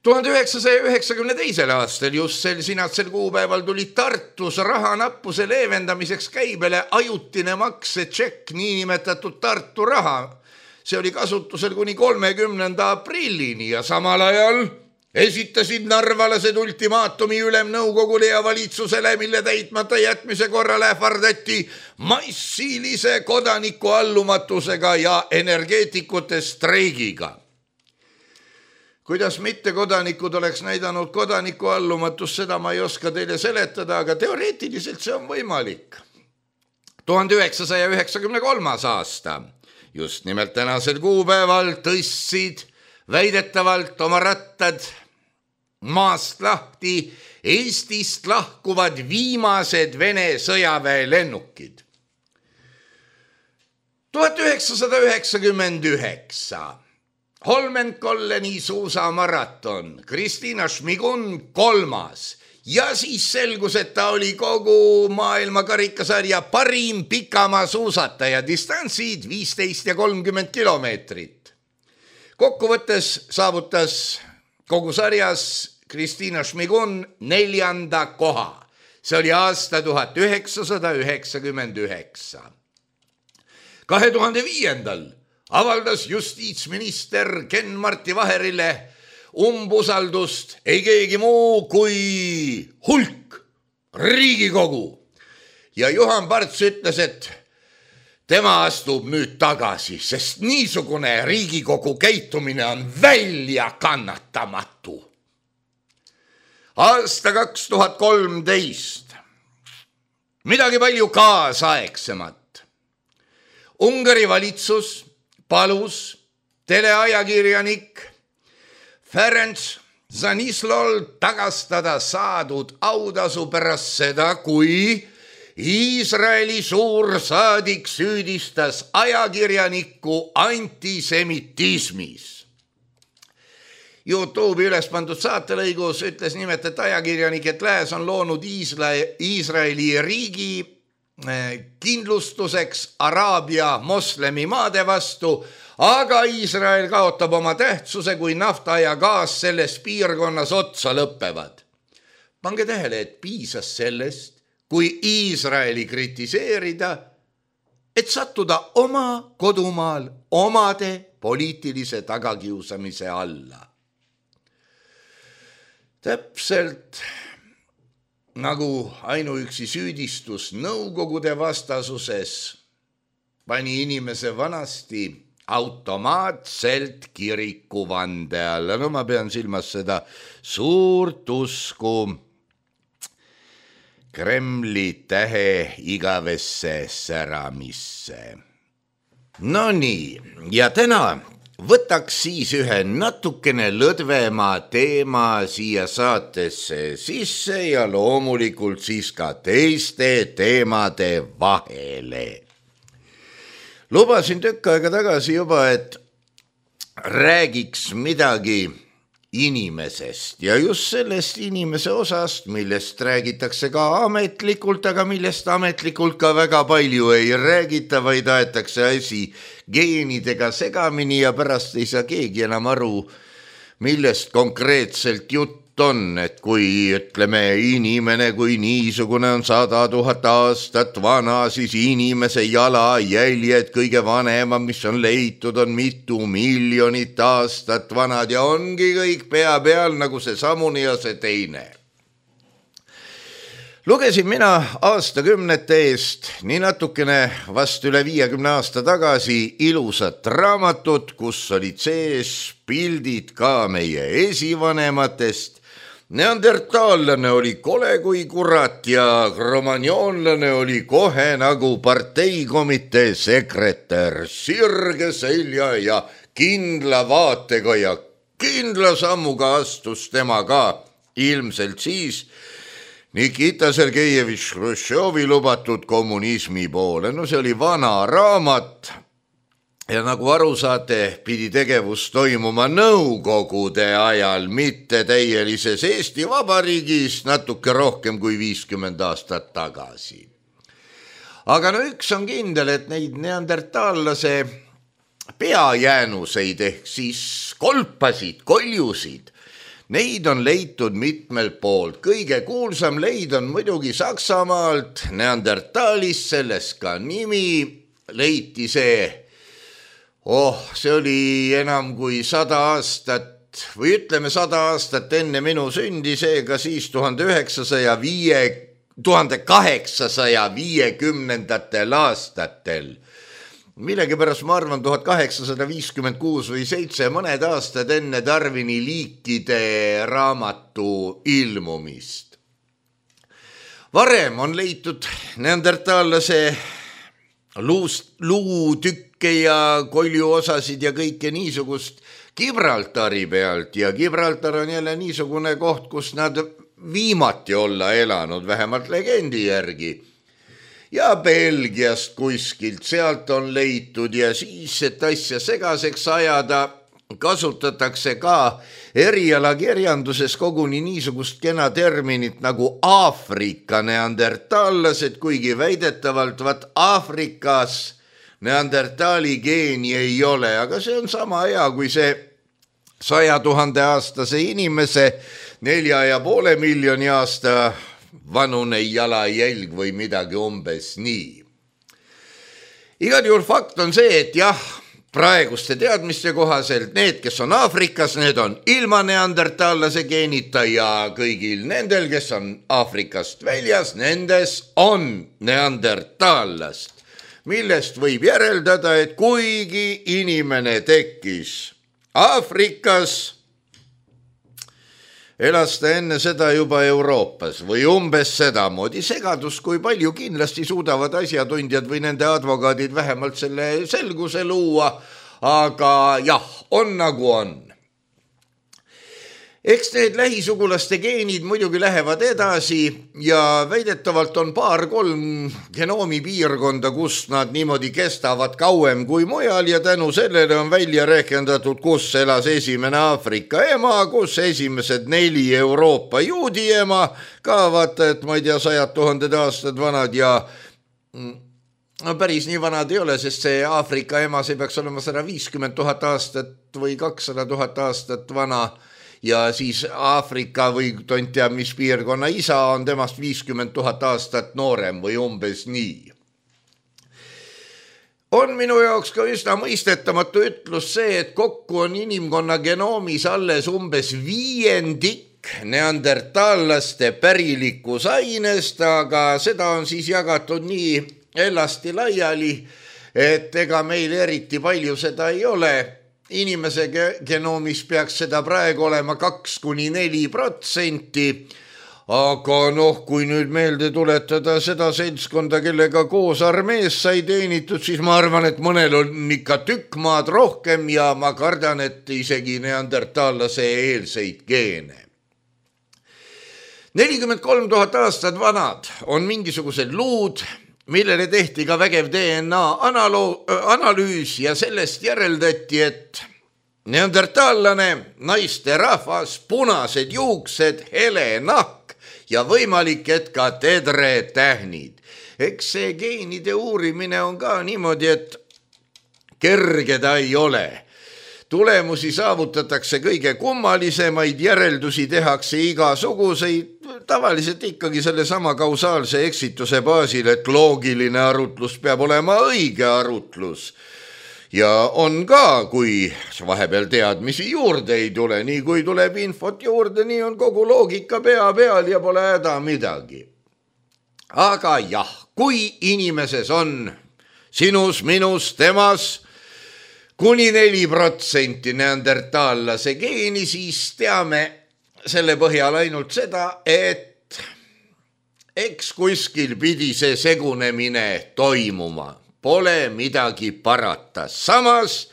tuhande üheksasaja üheksakümne teisel aastal just sel sinatsel kuupäeval tuli Tartus rahanappuse leevendamiseks käibele ajutine maksetšekk, niinimetatud Tartu raha. See oli kasutusel kuni kolmekümnenda aprillini ja samal ajal esitasid narvalased ultimaatumi ülemnõukogule ja valitsusele, mille täitmata jätmise korral ähvardati massilise kodaniku allumatusega ja energeetikute streigiga. Kuidas mittekodanikud oleks näidanud kodaniku allumatust, seda ma ei oska teile seletada, aga teoreetiliselt see on võimalik. tuhande üheksasaja üheksakümne kolmas aasta, just nimelt tänasel kuupäeval tõstsid väidetavalt oma rattad maast lahti Eestist lahkuvad viimased Vene sõjaväelennukid. tuhat üheksasada üheksakümmend üheksa Holmenkolleni suusamaraton, Kristina Šmigun kolmas ja siis selgus, et ta oli kogu maailma karikasarja parim pikamaa suusataja, distantsid viisteist ja kolmkümmend kilomeetrit. Kokkuvõttes saavutas kogu sarjas Kristina Šmigun neljanda koha. See oli aasta tuhat üheksasada üheksakümmend üheksa. kahe tuhande viiendal avaldas justiitsminister Ken-Marti Vaherile umbusaldust ei keegi muu kui hulk Riigikogu. Ja Juhan Parts ütles, et tema astub nüüd tagasi, sest niisugune Riigikogu käitumine on väljakannatamatu. Aasta kaks tuhat kolmteist. Midagi palju kaasaegsemat. Ungari valitsus palus teleajakirjanik Ferenc Zanislol tagastada saadud autasu pärast seda, kui Iisraeli suursaadik süüdistas ajakirjanikku antisemitismis. YouTube'i üles pandud saatelõigus ütles nimetet ajakirjanik, et lääs on loonud Iisraeli riigi kindlustuseks Araabia moslemi maade vastu, aga Iisrael kaotab oma tähtsuse, kui nafta ja gaas selles piirkonnas otsa lõppevad. Pange tähele, et piisas sellest, kui Iisraeli kritiseerida, et sattuda oma kodumaal omade poliitilise tagakiusamise alla. Täpselt nagu ainuüksi süüdistus Nõukogude vastasuses pani inimese vanasti automaatselt kirikuvande alla. No ma pean silmas seda suurt usku Kremli tähe igavesse säramisse. No nii, ja täna võtaks siis ühe natukene lõdvema teema siia saatesse sisse ja loomulikult siis ka teiste teemade vahele. Lubasin tükk aega tagasi juba, et räägiks midagi inimesest ja just sellest inimese osast, millest räägitakse ka ametlikult, aga millest ametlikult ka väga palju ei räägita, vaid aetakse asi geenidega segamini ja pärast ei saa keegi enam aru, millest konkreetselt jutt on, et kui ütleme inimene kui niisugune on sada tuhat aastat vana, siis inimese jalajäljed kõige vanema, mis on leitud, on mitu miljonit aastat vanad ja ongi kõik pea peal nagu see samune ja see teine. Lugesin mina aastakümnete eest, nii natukene vast üle viiekümne aasta tagasi, ilusat raamatut, kus olid sees pildid ka meie esivanematest. Neandertaallane oli kole kui kurat ja kromagnoonlane oli kohe nagu parteikomitee sekretär, sirge selja ja kindla vaatega ja kindla sammuga astus tema ka ilmselt siis Nikita Sergejevitš Hruštšovi lubatud kommunismi poole. No see oli vana raamat ja nagu aru saate, pidi tegevus toimuma nõukogude ajal, mitte täielises Eesti Vabariigis natuke rohkem kui viiskümmend aastat tagasi. Aga no üks on kindel, et neid neandertaallase peajäänuseid ehk siis kolpasid, koljusid, neid on leitud mitmel poolt. Kõige kuulsam leid on muidugi Saksamaalt, Neandertalist, sellest ka nimi, leiti see Oh, see oli enam kui sada aastat või ütleme sada aastat enne minu sündi, seega siis tuhande kaheksasaja viiekümnendatel aastatel. Millegipärast ma arvan tuhat kaheksasada viiskümmend kuus või seitse mõned aastad enne Darwini liikide raamatu ilmumist. Varem on leitud neandertaallase luust, luutükk ja koljuosasid ja kõike niisugust Gibraltari pealt ja Gibraltar on jälle niisugune koht, kus nad viimati olla elanud, vähemalt legendi järgi. Ja Belgiast kuskilt sealt on leitud ja siis, et asja segaseks ajada, kasutatakse ka erialakirjanduses koguni niisugust kena terminit nagu Aafrika neandertaallased, kuigi väidetavalt vat Aafrikas neandertaali geeni ei ole, aga see on sama hea kui see saja tuhande aastase inimese nelja ja poole miljoni aasta vanune jalajälg või midagi umbes nii. Igal juhul fakt on see, et jah, praeguste teadmiste kohaselt need, kes on Aafrikas, need on ilma neandertaallase geenita ja kõigil nendel, kes on Aafrikast väljas, nendes on neandertaallast. Millest võib järeldada, et kuigi inimene tekkis Aafrikas, elas ta enne seda juba Euroopas või umbes sedamoodi. Segadus, kui palju kindlasti suudavad asjatundjad või nende advokaadid vähemalt selle selguse luua, aga jah, on nagu on. Eks need lähisugulaste geenid muidugi lähevad edasi ja väidetavalt on paar-kolm genoomi piirkonda, kus nad niimoodi kestavad kauem kui mujal ja tänu sellele on välja rehkendatud, kus elas esimene Aafrika ema, kus esimesed neli Euroopa juudi ema, ka vaata, et ma ei tea, sajad tuhanded aastad vanad ja no päris nii vanad ei ole, sest see Aafrika ema, see peaks olema sada viiskümmend tuhat aastat või kakssada tuhat aastat vana. Ja siis Aafrika või tont tea, mis piirkonna isa on temast viiskümmend tuhat aastat noorem või umbes nii. On minu jaoks ka üsna mõistetamatu ütlus see, et kokku on inimkonna genoomis alles umbes viiendik neandertaallaste pärilikkus ainest, aga seda on siis jagatud nii elasti laiali, et ega meil eriti palju seda ei ole. Inimese genoomis peaks seda praegu olema kaks kuni neli protsenti, aga noh, kui nüüd meelde tuletada seda seltskonda, kellega koos armees sai teenitud, siis ma arvan, et mõnel on ikka tükk maad rohkem ja ma kardan, et isegi neandertaallase eelseid geene. nelikümmend kolm tuhat aastat vanad on mingisugused luud, millele tehti ka vägev D N A analoo- analüüs ja sellest järeldati, et neandertaallane, naiste rahvas, punased juuksed, hele nahk ja võimalik, et ka tedretähnid. Eks see geenide uurimine on ka niimoodi, et kerge ta ei ole. Tulemusi saavutatakse kõige kummalisemaid, järeldusi tehakse igasuguseid, tavaliselt ikkagi selle sama kausaalse eksituse baasil, et loogiline arutlus peab olema õige arutlus. Ja on ka, kui vahepeal teadmisi juurde ei tule, nii kui tuleb infot juurde, nii on kogu loogika pea peal ja pole häda midagi. Aga jah, kui inimeses on sinus, minus, temas kuni neli protsenti neandertaallase geeni, siis teame selle põhjal ainult seda, et eks kuskil pidi see segunemine toimuma. Pole midagi parata. Samas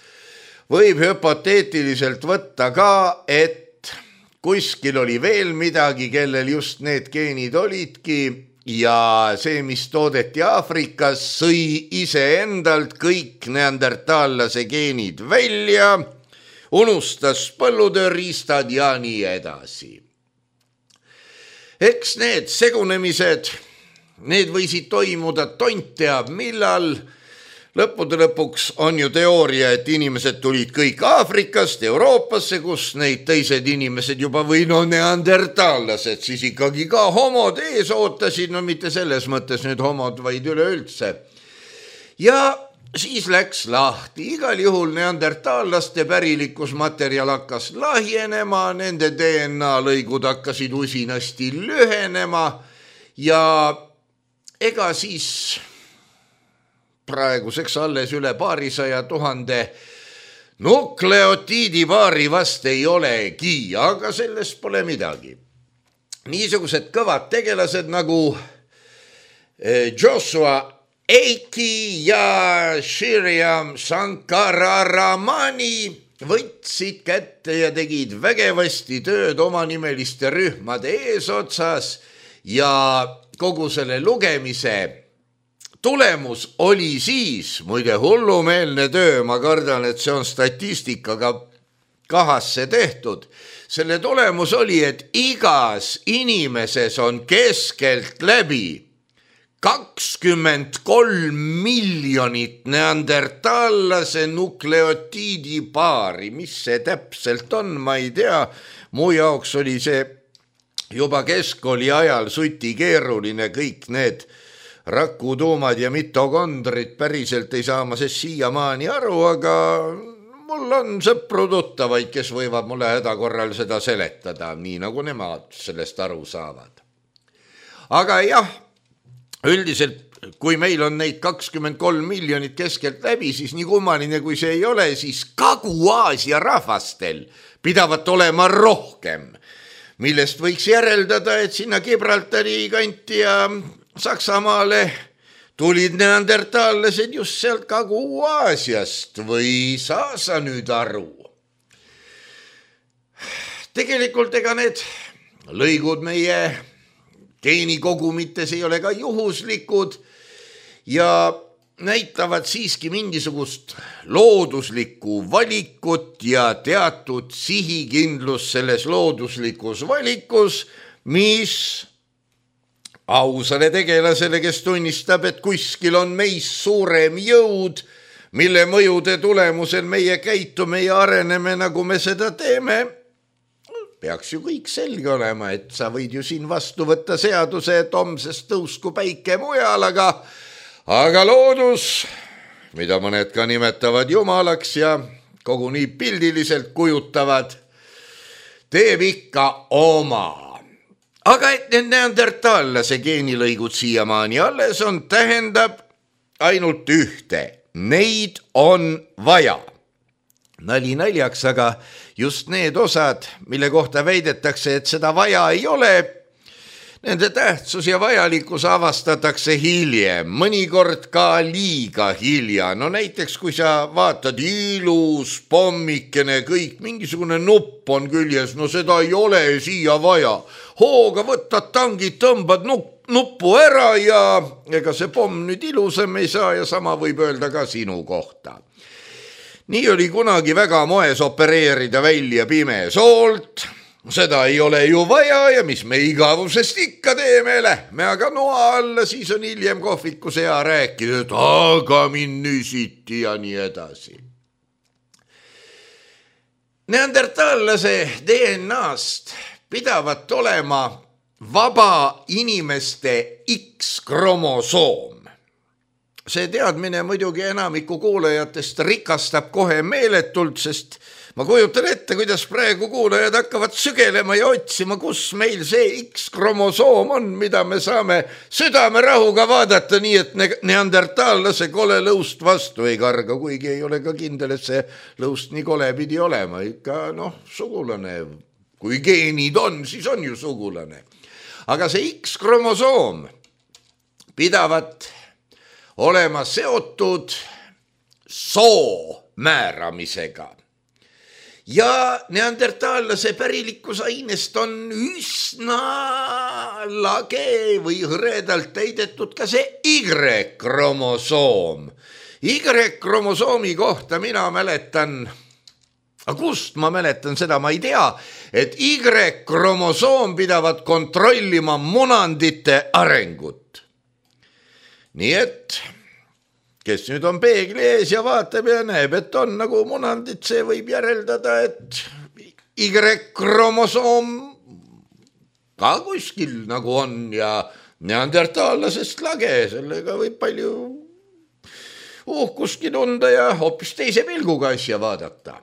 võib hüpoteetiliselt võtta ka, et kuskil oli veel midagi, kellel just need geenid olidki ja see, mis toodeti Aafrikas, sõi iseendalt kõik neandertaallase geenid välja, unustas põllutööriistad ja nii edasi. Eks need segunemised, need võisid toimuda tont teab millal. Lõppude lõpuks on ju teooria, et inimesed tulid kõik Aafrikast Euroopasse, kus neid teised inimesed juba või no neandertaallased siis ikkagi ka homod ees ootasid, no mitte selles mõttes nüüd homod, vaid üleüldse. Ja siis läks lahti, igal juhul neandertaallaste pärilikkusmaterjal hakkas lahjenema, nende D N A lõigud hakkasid usinasti lühenema ja ega siis praeguseks alles üle paarisaja tuhande nukleotiidi paari vast ei olegi, aga sellest pole midagi. Niisugused kõvad tegelased nagu Joshua Eiki ja Shriram Sankararamani võtsid kätte ja tegid vägevasti tööd omanimeliste rühmade eesotsas ja kogu selle lugemise tulemus oli siis, muide hullumeelne töö, ma kardan, et see on statistikaga kahasse tehtud. Selle tulemus oli, et igas inimeses on keskelt läbi kakskümmend kolm miljonit neandertaallase nukleotiidi paari. Mis see täpselt on, ma ei tea. Mu jaoks oli see juba keskkooli ajal suti keeruline, kõik need rakutuumad ja mitokondrid päriselt ei saa ma sest siiamaani aru, aga mul on sõpru tuttavaid, kes võivad mulle häda korral seda seletada, nii nagu nemad sellest aru saavad. Aga jah, üldiselt, kui meil on neid kakskümmend kolm miljonit keskelt läbi, siis nii kummaline kui see ei ole, siis Kagu-Aasia rahvastel pidavat olema rohkem, millest võiks järeldada, et sinna Gibraltari kanti ja Saksamaale tulid neandertaallased just sealt Kagu-Aasiast või saa sa nüüd aru? Tegelikult ega need lõigud meie geenikogumites ei ole ka juhuslikud ja näitavad siiski mingisugust looduslikku valikut ja teatud sihikindlus selles looduslikus valikus, mis ausale tegelasele, kes tunnistab, et kuskil on meist suurem jõud, mille mõjude tulemusel meie käitume ja areneme, nagu me seda teeme, peaks ju kõik selge olema, et sa võid ju siin vastu võtta seaduse, et homsest tõusku päike mujal, aga, aga loodus, mida mõned ka nimetavad jumalaks ja koguni pildiliselt kujutavad, teeb ikka oma. Aga et need neandertaallase geenilõigud siiamaani alles on, tähendab ainult ühte. Neid on vaja. Nali naljaks, aga just need osad, mille kohta väidetakse, et seda vaja ei ole, Nende tähtsus ja vajalikkus avastatakse hiljem, mõnikord ka liiga hilja. No näiteks, kui sa vaatad ilus, pommikene, kõik, mingisugune nupp on küljes, no seda ei ole siia vaja. Hooga võtad tangid, tõmbad nuppu ära ja ega see pomm nüüd ilusam ei saa ja sama võib öelda ka sinu kohta. Nii oli kunagi väga moes opereerida välja pimesoolt. Seda ei ole ju vaja ja mis me igavusest ikka teeme, lähme aga noa alla, siis on hiljem kohvikus hea rääkida, et aga mind nüsiti ja nii edasi. Neandertaallase D N A-st pidavat olema vaba inimeste X-kromosoom. See teadmine muidugi enamiku kuulajatest rikastab kohe meeletult, sest ma kujutan ette, kuidas praegu kuulajad hakkavad sügelema ja otsima, kus meil see X-kromosoom on, mida me saame südamerahuga vaadata, nii et neandertaallase kole lõust vastu ei karga, kuigi ei ole ka kindel, et see lõust nii kole pidi olema. Ikka noh, sugulane. Kui geenid on, siis on ju sugulane. Aga see X-kromosoom pidavat olema seotud soo määramisega. Ja neandertaallase pärilikkusainest on üsna lage või hõredalt täidetud ka see Y-kromosoom. Y-kromosoomi kohta mina mäletan, aga kust ma mäletan seda, ma ei tea, et Y-kromosoom pidavat kontrollima munandite arengut. Nii et kes nüüd on peegli ees ja vaatab ja näeb, et on nagu munandit, see võib järeldada, et Y-kromosoom ka kuskil nagu on ja neandertaallasest lage, sellega võib palju uhkuski tunda ja hoopis teise pilguga asja vaadata.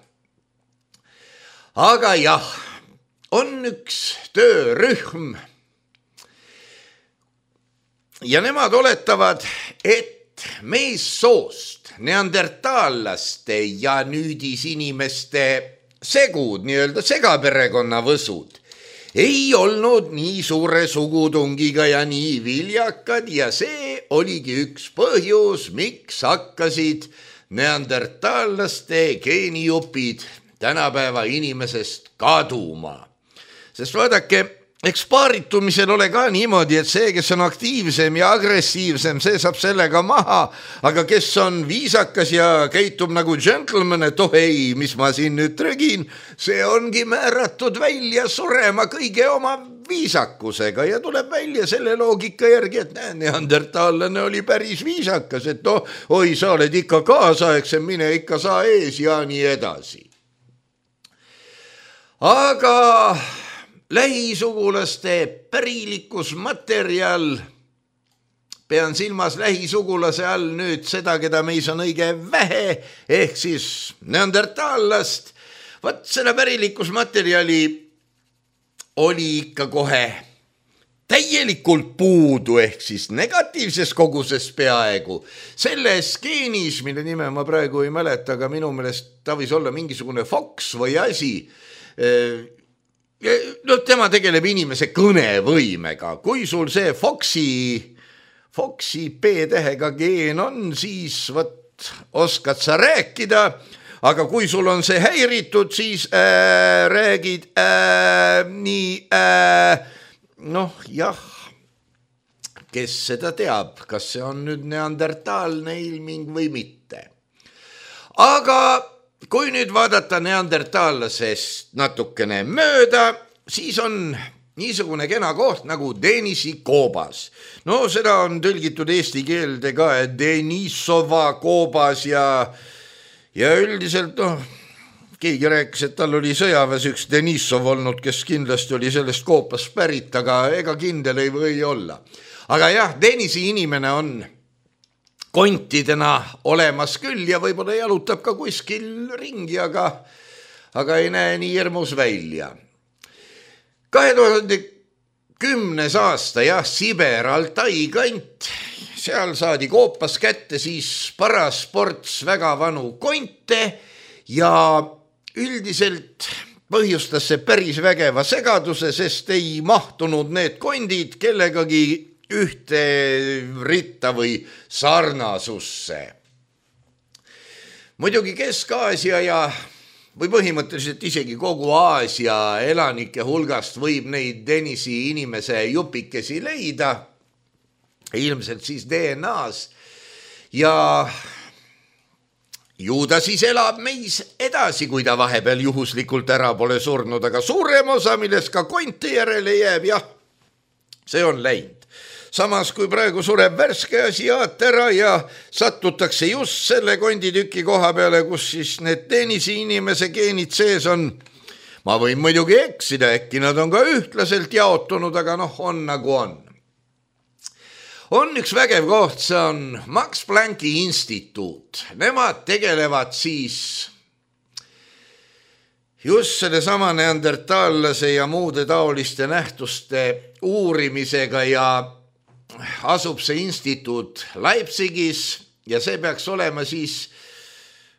Aga jah, on üks töörühm ja nemad oletavad, et meessoost neandertaallaste ja nüüdis inimeste segud, nii-öelda segaperekonna võsud, ei olnud nii suure sugutungiga ja nii viljakad ja see oligi üks põhjus, miks hakkasid neandertaallaste geenijupid tänapäeva inimesest kaduma. Sest vaadake, eks paaritumisel ole ka niimoodi, et see, kes on aktiivsem ja agressiivsem, see saab sellega maha, aga kes on viisakas ja käitub nagu gentleman, et oh ei, mis ma siin nüüd trögin, see ongi määratud välja surema kõige oma viisakusega ja tuleb välja selle loogika järgi, et näe, neandertaallane oli päris viisakas, et oh, oi, sa oled ikka kaasaegsem, mine ikka saa ees ja nii edasi. Aga lähisugulaste pärilikkusmaterjal, pean silmas lähisugulase all nüüd seda, keda meis on õige vähe, ehk siis neandertaallast, vaat selle pärilikkusmaterjali oli ikka kohe täielikult puudu, ehk siis negatiivses koguses peaaegu. Selles geenis, mille nime ma praegu ei mäleta, aga minu meelest ta võis olla mingisugune Fox või asi, no tema tegeleb inimese kõnevõimega. Kui sul see Foxi, Foxi P-tähega geen on, siis võt, oskad sa rääkida, aga kui sul on see häiritud, siis äh, räägid äh, nii, äh, noh jah, kes seda teab, kas see on nüüd neandertaalne ilming või mitte. Aga kui nüüd vaadata neandertaallasest natukene mööda, siis on niisugune kena koht nagu Denisi koobas. No seda on tõlgitud eesti keelde ka, et Denisova koobas ja, ja üldiselt noh, keegi rääkis, et tal oli sõjaväes üks Denisov olnud, kes kindlasti oli sellest koopast pärit, aga ega kindel ei või olla. Aga jah, Denisi inimene on kontidena olemas küll ja võib-olla jalutab ka kuskil ringi, aga, aga ei näe nii hirmus välja. kahe tuhande kümnes aasta, jah, Siber, Altai kant, seal saadi koopas kätte siis parasports väga vanu konte ja üldiselt põhjustas see päris vägeva segaduse, sest ei mahtunud need kondid kellegagi ühte ritta või sarnasusse. Muidugi Kesk-Aasia ja või põhimõtteliselt isegi kogu Aasia elanike hulgast võib neid Denisi inimese jupikesi leida, ilmselt siis D N A-s ja ju ta siis elab meis edasi, kui ta vahepeal juhuslikult ära pole surnud, aga suurem osa, millest ka konti järele jääb, jah, see on läinud. Samas kui praegu sureb värske asiaat ära ja satutakse just selle konditüki koha peale, kus siis need Denisi inimese geenid sees on. Ma võin muidugi eksida, äkki nad on ka ühtlaselt jaotunud, aga noh, on nagu on. On üks vägev koht, see on Max Plancki instituut. Nemad tegelevad siis just selle sama neandertaallase ja muude taoliste nähtuste uurimisega ja asub see instituut Leipzigis ja see peaks olema siis,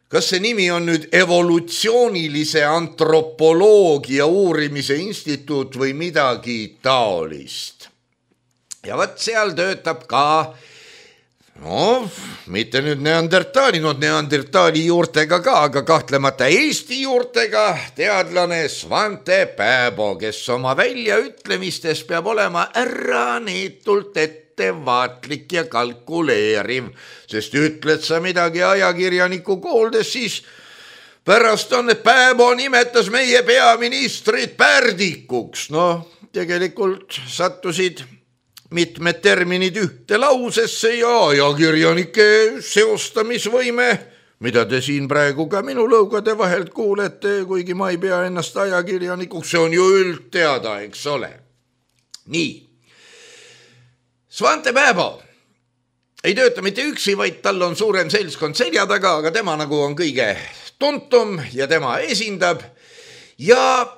kas see nimi on nüüd evolutsioonilise antropoloogia uurimise instituut või midagi taolist. Ja võt seal töötab ka, no mitte nüüd neandertaali, no neandertaali juurtega ka, aga kahtlemata Eesti juurtega teadlane Svante Pääbo, kes oma väljaütlemistes peab olema äraneetult ettevaatlik ja kalkuleeriv, sest ütled sa midagi ajakirjaniku kuuldes, siis pärast on, et Pääbo nimetas meie peaministrit pärdikuks. No tegelikult sattusid mitmed terminid ühte lausesse ja ajakirjanike seostamisvõime, mida te siin praegu ka minu lõugade vahelt kuulete, kuigi ma ei pea ennast ajakirjanikuks, see on ju üldteada, eks ole. Nii. Svante Pääbo ei tööta mitte üksi, vaid tal on suurem seltskond selja taga, aga tema nagu on kõige tuntum ja tema esindab ja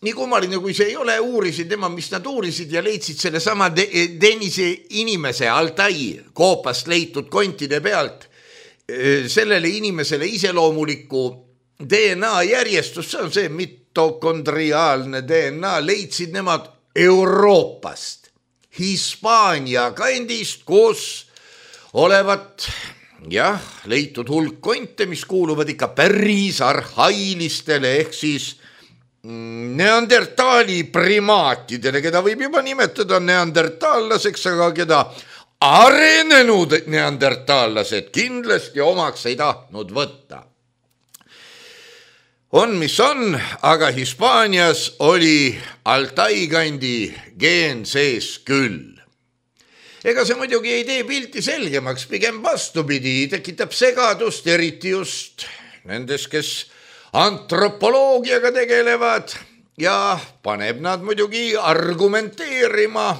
nii kummaline, kui see ei ole, uurisid tema, mis nad uurisid ja leidsid selle sama Denise inimese Altai koopast leitud kontide pealt sellele inimesele iseloomuliku D N A järjestus, see on see mitokondriaalne D N A, leidsid nemad Euroopast, Hispaania kandist, kus olevat jah, leitud hulk konte, mis kuuluvad ikka päris arhailistele ehk siis neandertaali primaatidele, keda võib juba nimetada neandertaallaseks, aga keda arenenud neandertaallased kindlasti omaks ei tahtnud võtta. On, mis on, aga Hispaanias oli Altai kandi geen sees küll. Ega see muidugi ei tee pilti selgemaks, pigem vastupidi, tekitab segadust, eriti just nendes, kes antropoloogiaga tegelevad ja paneb nad muidugi argumenteerima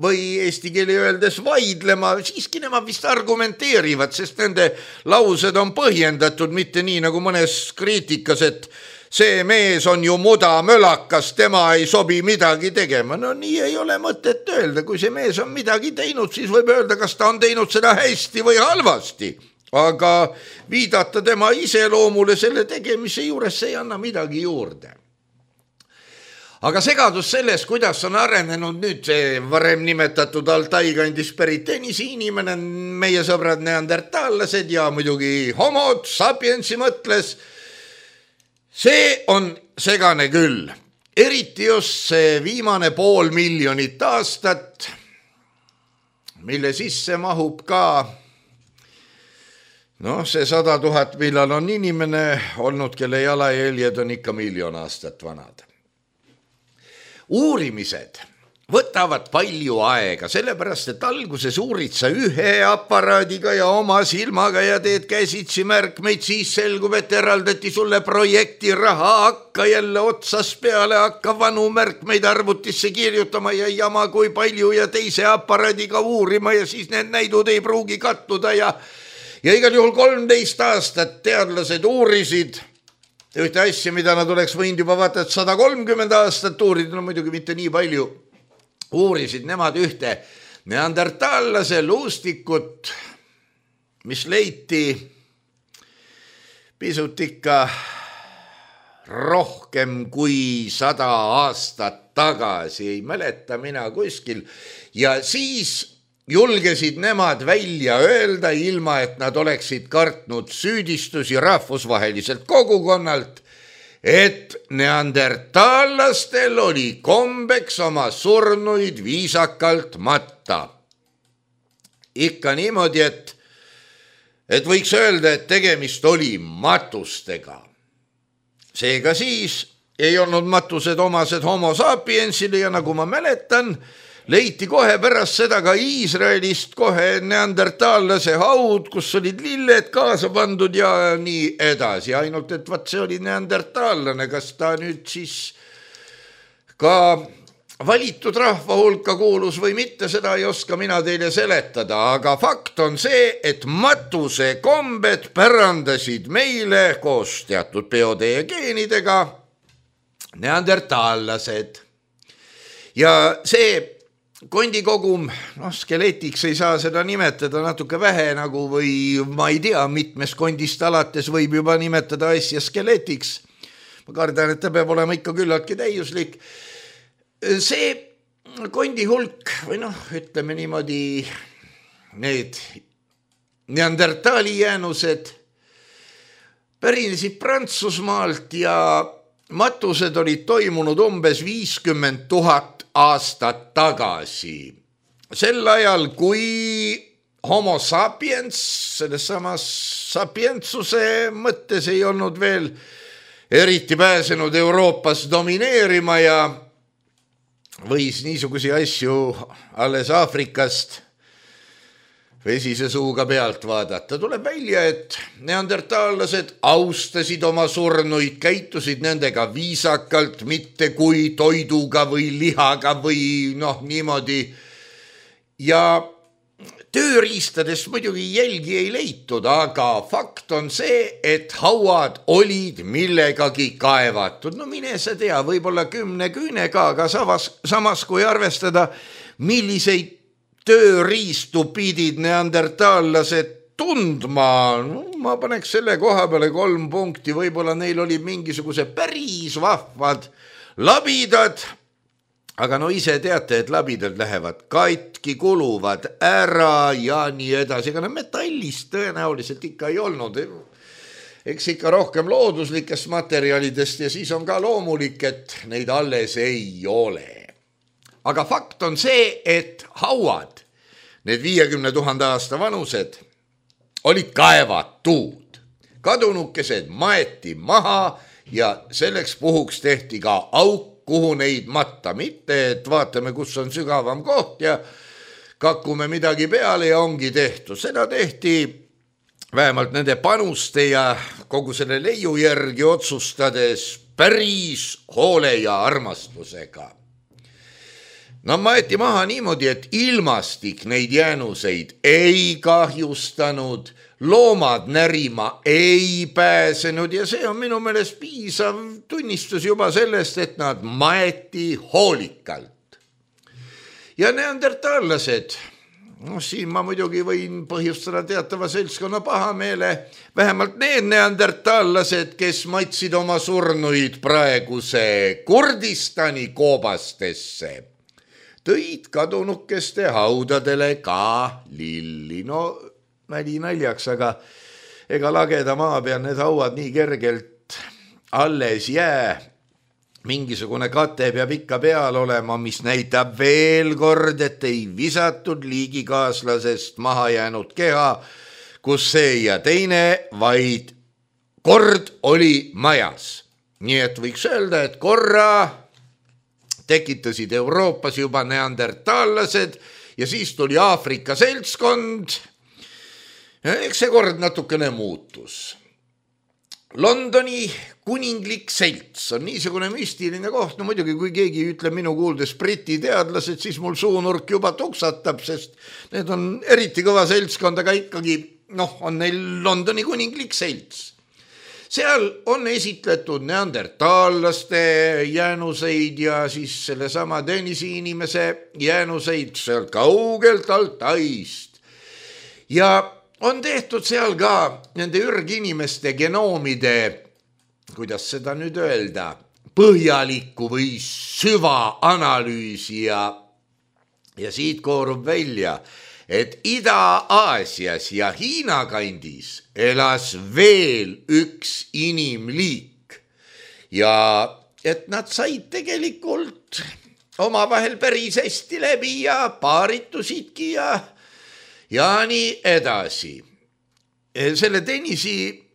või eesti keeli öeldes vaidlema, siiski nemad vist argumenteerivad, sest nende laused on põhjendatud, mitte nii nagu mõnes kriitikas, et see mees on ju mudamölakas, tema ei sobi midagi tegema. No nii ei ole mõtet öelda, kui see mees on midagi teinud, siis võib öelda, kas ta on teinud seda hästi või halvasti. Aga viidata tema iseloomule selle tegemise juures, see ei anna midagi juurde. Aga segadus selles, kuidas on arenenud nüüd see varem nimetatud Altai kandis pärit Denisi inimene, meie sõbrad neandertaallased ja muidugi homod, sapiensi mõtles, see on segane küll. Eriti just see viimane pool miljonit aastat, mille sisse mahub ka noh, see sada tuhat, millal on inimene olnud, kelle jalajäljed on ikka miljon aastat vanad. Uurimised võtavad palju aega, sellepärast, et alguses uurid sa ühe aparaadiga ja oma silmaga ja teed käsitsi märkmeid, siis selgub, et eraldati sulle projekti raha, hakka jälle otsas peale, hakka vanu märkmeid arvutisse kirjutama ja jama kui palju ja teise aparaadiga uurima ja siis need näidud ei pruugi kattuda ja Ja igal juhul kolmteist aastat teadlased uurisid ühte asja, mida nad oleks võinud juba vaata, et sada kolmkümmend aastat uurida, no muidugi mitte nii palju, uurisid nemad ühte neandertaallase luustikut, mis leiti pisut ikka rohkem kui sada aastat tagasi, ei mäleta mina kuskil. Ja siis julgesid nemad välja öelda, ilma et nad oleksid kartnud süüdistusi rahvusvaheliselt kogukonnalt, et neandertallastel oli kombeks oma surnuid viisakalt matta. Ikka niimoodi, et, et võiks öelda, et tegemist oli matustega. Seega siis ei olnud matused omased homo sapiensile ja nagu ma mäletan, leiti kohe pärast seda ka Iisraelist kohe neandertaallase haud, kus olid lilled kaasa pandud ja nii edasi. Ainult, et vaat see oli neandertaallane, kas ta nüüd siis ka valitud rahva hulka kuulus või mitte, seda ei oska mina teile seletada, aga fakt on see, et matuse kombed pärandasid meile koos teatud biode ja geenidega neandertaallased. Ja see kondikogum, noh, skeletiks ei saa seda nimetada natuke vähe nagu või ma ei tea, mitmes kondist alates võib juba nimetada asja skeletiks. Ma kardan, et ta peab olema ikka küllaltki täiuslik. See kondi hulk või noh, ütleme niimoodi, need neandertaali jäänused pärinesid Prantsusmaalt ja matused olid toimunud umbes viiskümmend tuhat aastat tagasi. Sel ajal, kui homo sapiens, selles samas sapientsuse mõttes ei olnud veel eriti pääsenud Euroopas domineerima ja võis niisugusi asju alles Aafrikast vesise suuga pealt vaadata. Tuleb välja, et neandertaallased austasid oma surnuid, käitusid nendega viisakalt, mitte kui toiduga või lihaga või noh, niimoodi. Ja tööriistadest muidugi jälgi ei leitud, aga fakt on see, et hauad olid millegagi kaevatud. No mine sa tea, võib-olla kümne küünega, aga samas, samas kui arvestada, milliseid tööriistu pidid neandertaallased tundma, no, ma paneks selle koha peale kolm punkti, võib-olla neil oli mingisuguse päris vahvad labidad, aga no ise teate, et labidad lähevad katki, kuluvad ära ja nii edasi, aga no metallist tõenäoliselt ikka ei olnud, eks ikka rohkem looduslikest materjalidest ja siis on ka loomulik, et neid alles ei ole. Aga fakt on see, et hauad, need viiekümne tuhande aasta vanused, olid kaevatud. Kadunukesed maeti maha ja selleks puhuks tehti ka auk, kuhu neid matta. Mitte, et vaatame, kus on sügavam koht ja kakume midagi peale ja ongi tehtud. Seda tehti vähemalt nende panuste ja kogu selle leiu järgi otsustades päris hoole ja armastusega. No maeti maha niimoodi, et ilmastik neid jäänuseid ei kahjustanud, loomad närima ei pääsenud ja see on minu meelest piisav tunnistus juba sellest, et nad maeti hoolikalt. Ja neandertaallased, no siin ma muidugi võin põhjustada teatava seltskonna pahameele, vähemalt need neandertaallased, kes matsid oma surnuid praeguse Kurdistani koobastesse, tõid kadunukeste haudadele ka lilli. No nali naljaks, aga ega lageda maa peal need hauad nii kergelt alles jää. Mingisugune kate peab ikka peal olema, mis näitab veel kord, et ei visatud liigikaaslasest maha jäänud keha, kus see ja teine, vaid kord oli majas. Nii et võiks öelda, et korra tekitasid Euroopas juba neandertaallased ja siis tuli Aafrika seltskond. Eks see kord natukene muutus. Londoni kuninglik selts on niisugune müstiline koht. No muidugi, kui keegi ütleb minu kuuldes briti teadlased, siis mul suunurk juba tuksatab, sest need on eriti kõva seltskond, aga ikkagi noh, on neil Londoni kuninglik selts. Seal on esitletud neandertaallaste jäänuseid ja siis selle sama Denisi inimese jäänuseid seal kaugelt Altaist. Ja on tehtud seal ka nende ürginimeste genoomide kuidas seda nüüd öelda, põhjalikku või süvaanalüüsi ja, ja siit koorub välja, et Ida-Aasias ja Hiina kandis elas veel üks inimliik ja et nad said tegelikult omavahel päris hästi läbi ja paaritusidki ja, ja nii edasi. Selle Denisi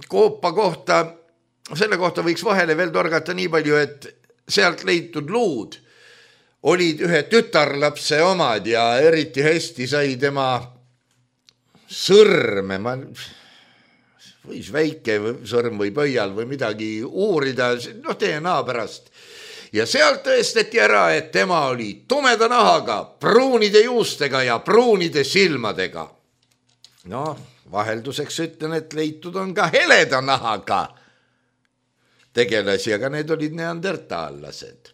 koopa kohta, selle kohta võiks vahele veel torgata nii palju, et sealt leitud luud olid ühe tütarlapse omad ja eriti hästi sai tema sõrme, ma võis väike sõrm või pöial või midagi uurida, noh D N A pärast. Ja sealt tõestati ära, et tema oli tumeda nahaga, pruunide juustega ja pruunide silmadega. No, vahelduseks ütlen, et leitud on ka heleda nahaga tegelasi, aga need olid neandertaallased.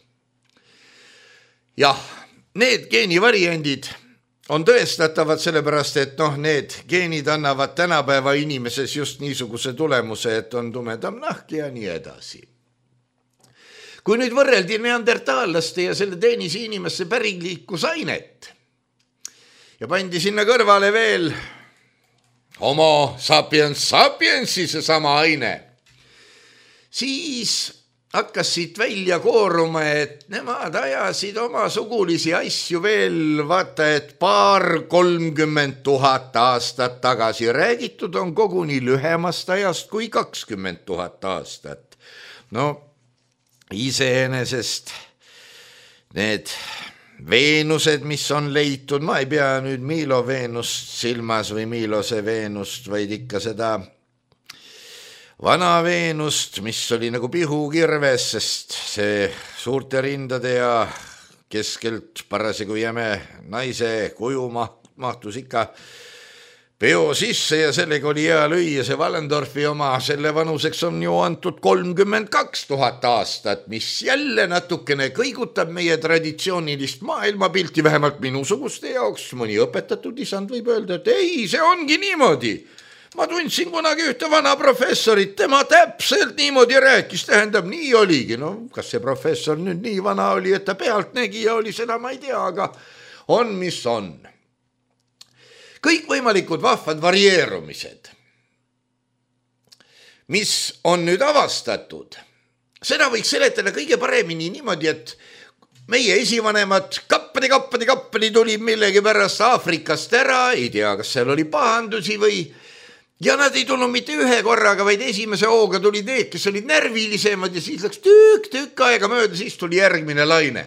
Jah, need geenivariandid on tõestatavad sellepärast, et noh, need geenid annavad tänapäeva inimeses just niisuguse tulemuse, et on tumedam nahk ja nii edasi. Kui nüüd võrreldi neandertaallaste ja selle Denisi inimesse päringliiklusainet ja pandi sinna kõrvale veel homo sapiens sapiensi seesama aine, siis hakkas siit välja kooruma, et nemad ajasid oma sugulisi asju veel, vaata, et paar kolmkümmend tuhat aastat tagasi. Räägitud on koguni lühemast ajast kui kakskümmend tuhat aastat. No iseenesest need Veenused, mis on leitud, ma ei pea nüüd Milo Veenust silmas või Milose Veenust, vaid ikka seda vana Veenust, mis oli nagu pihukirves, sest see suurte rindade ja keskelt parasjagu jäme naise kuju mahtus ikka peo sisse ja sellega oli hea lüüa. See Wallendorfi oma, selle vanuseks on ju antud kolmkümmend kaks tuhat aastat, mis jälle natukene kõigutab meie traditsioonilist maailmapilti, vähemalt minusuguste jaoks. Mõni õpetatud isand võib öelda, et ei, see ongi niimoodi. Ma tundsin kunagi ühte vana professorit, tema täpselt niimoodi rääkis, tähendab, nii oligi. No, kas see professor nüüd nii vana oli, et ta pealtnägija oli, seda ma ei tea, aga on, mis on. Kõik võimalikud vahvad varieerumised, mis on nüüd avastatud, seda võiks seletada kõige paremini niimoodi, et meie esivanemad kappadi, kappadi, kappadi tulid millegi pärast Aafrikast ära, ei tea, kas seal oli pahandusi või, ja nad ei tulnud mitte ühe korraga, vaid esimese hooga tulid need, kes olid närvilisemad ja siis läks tükk, tükk aega mööda, siis tuli järgmine laine.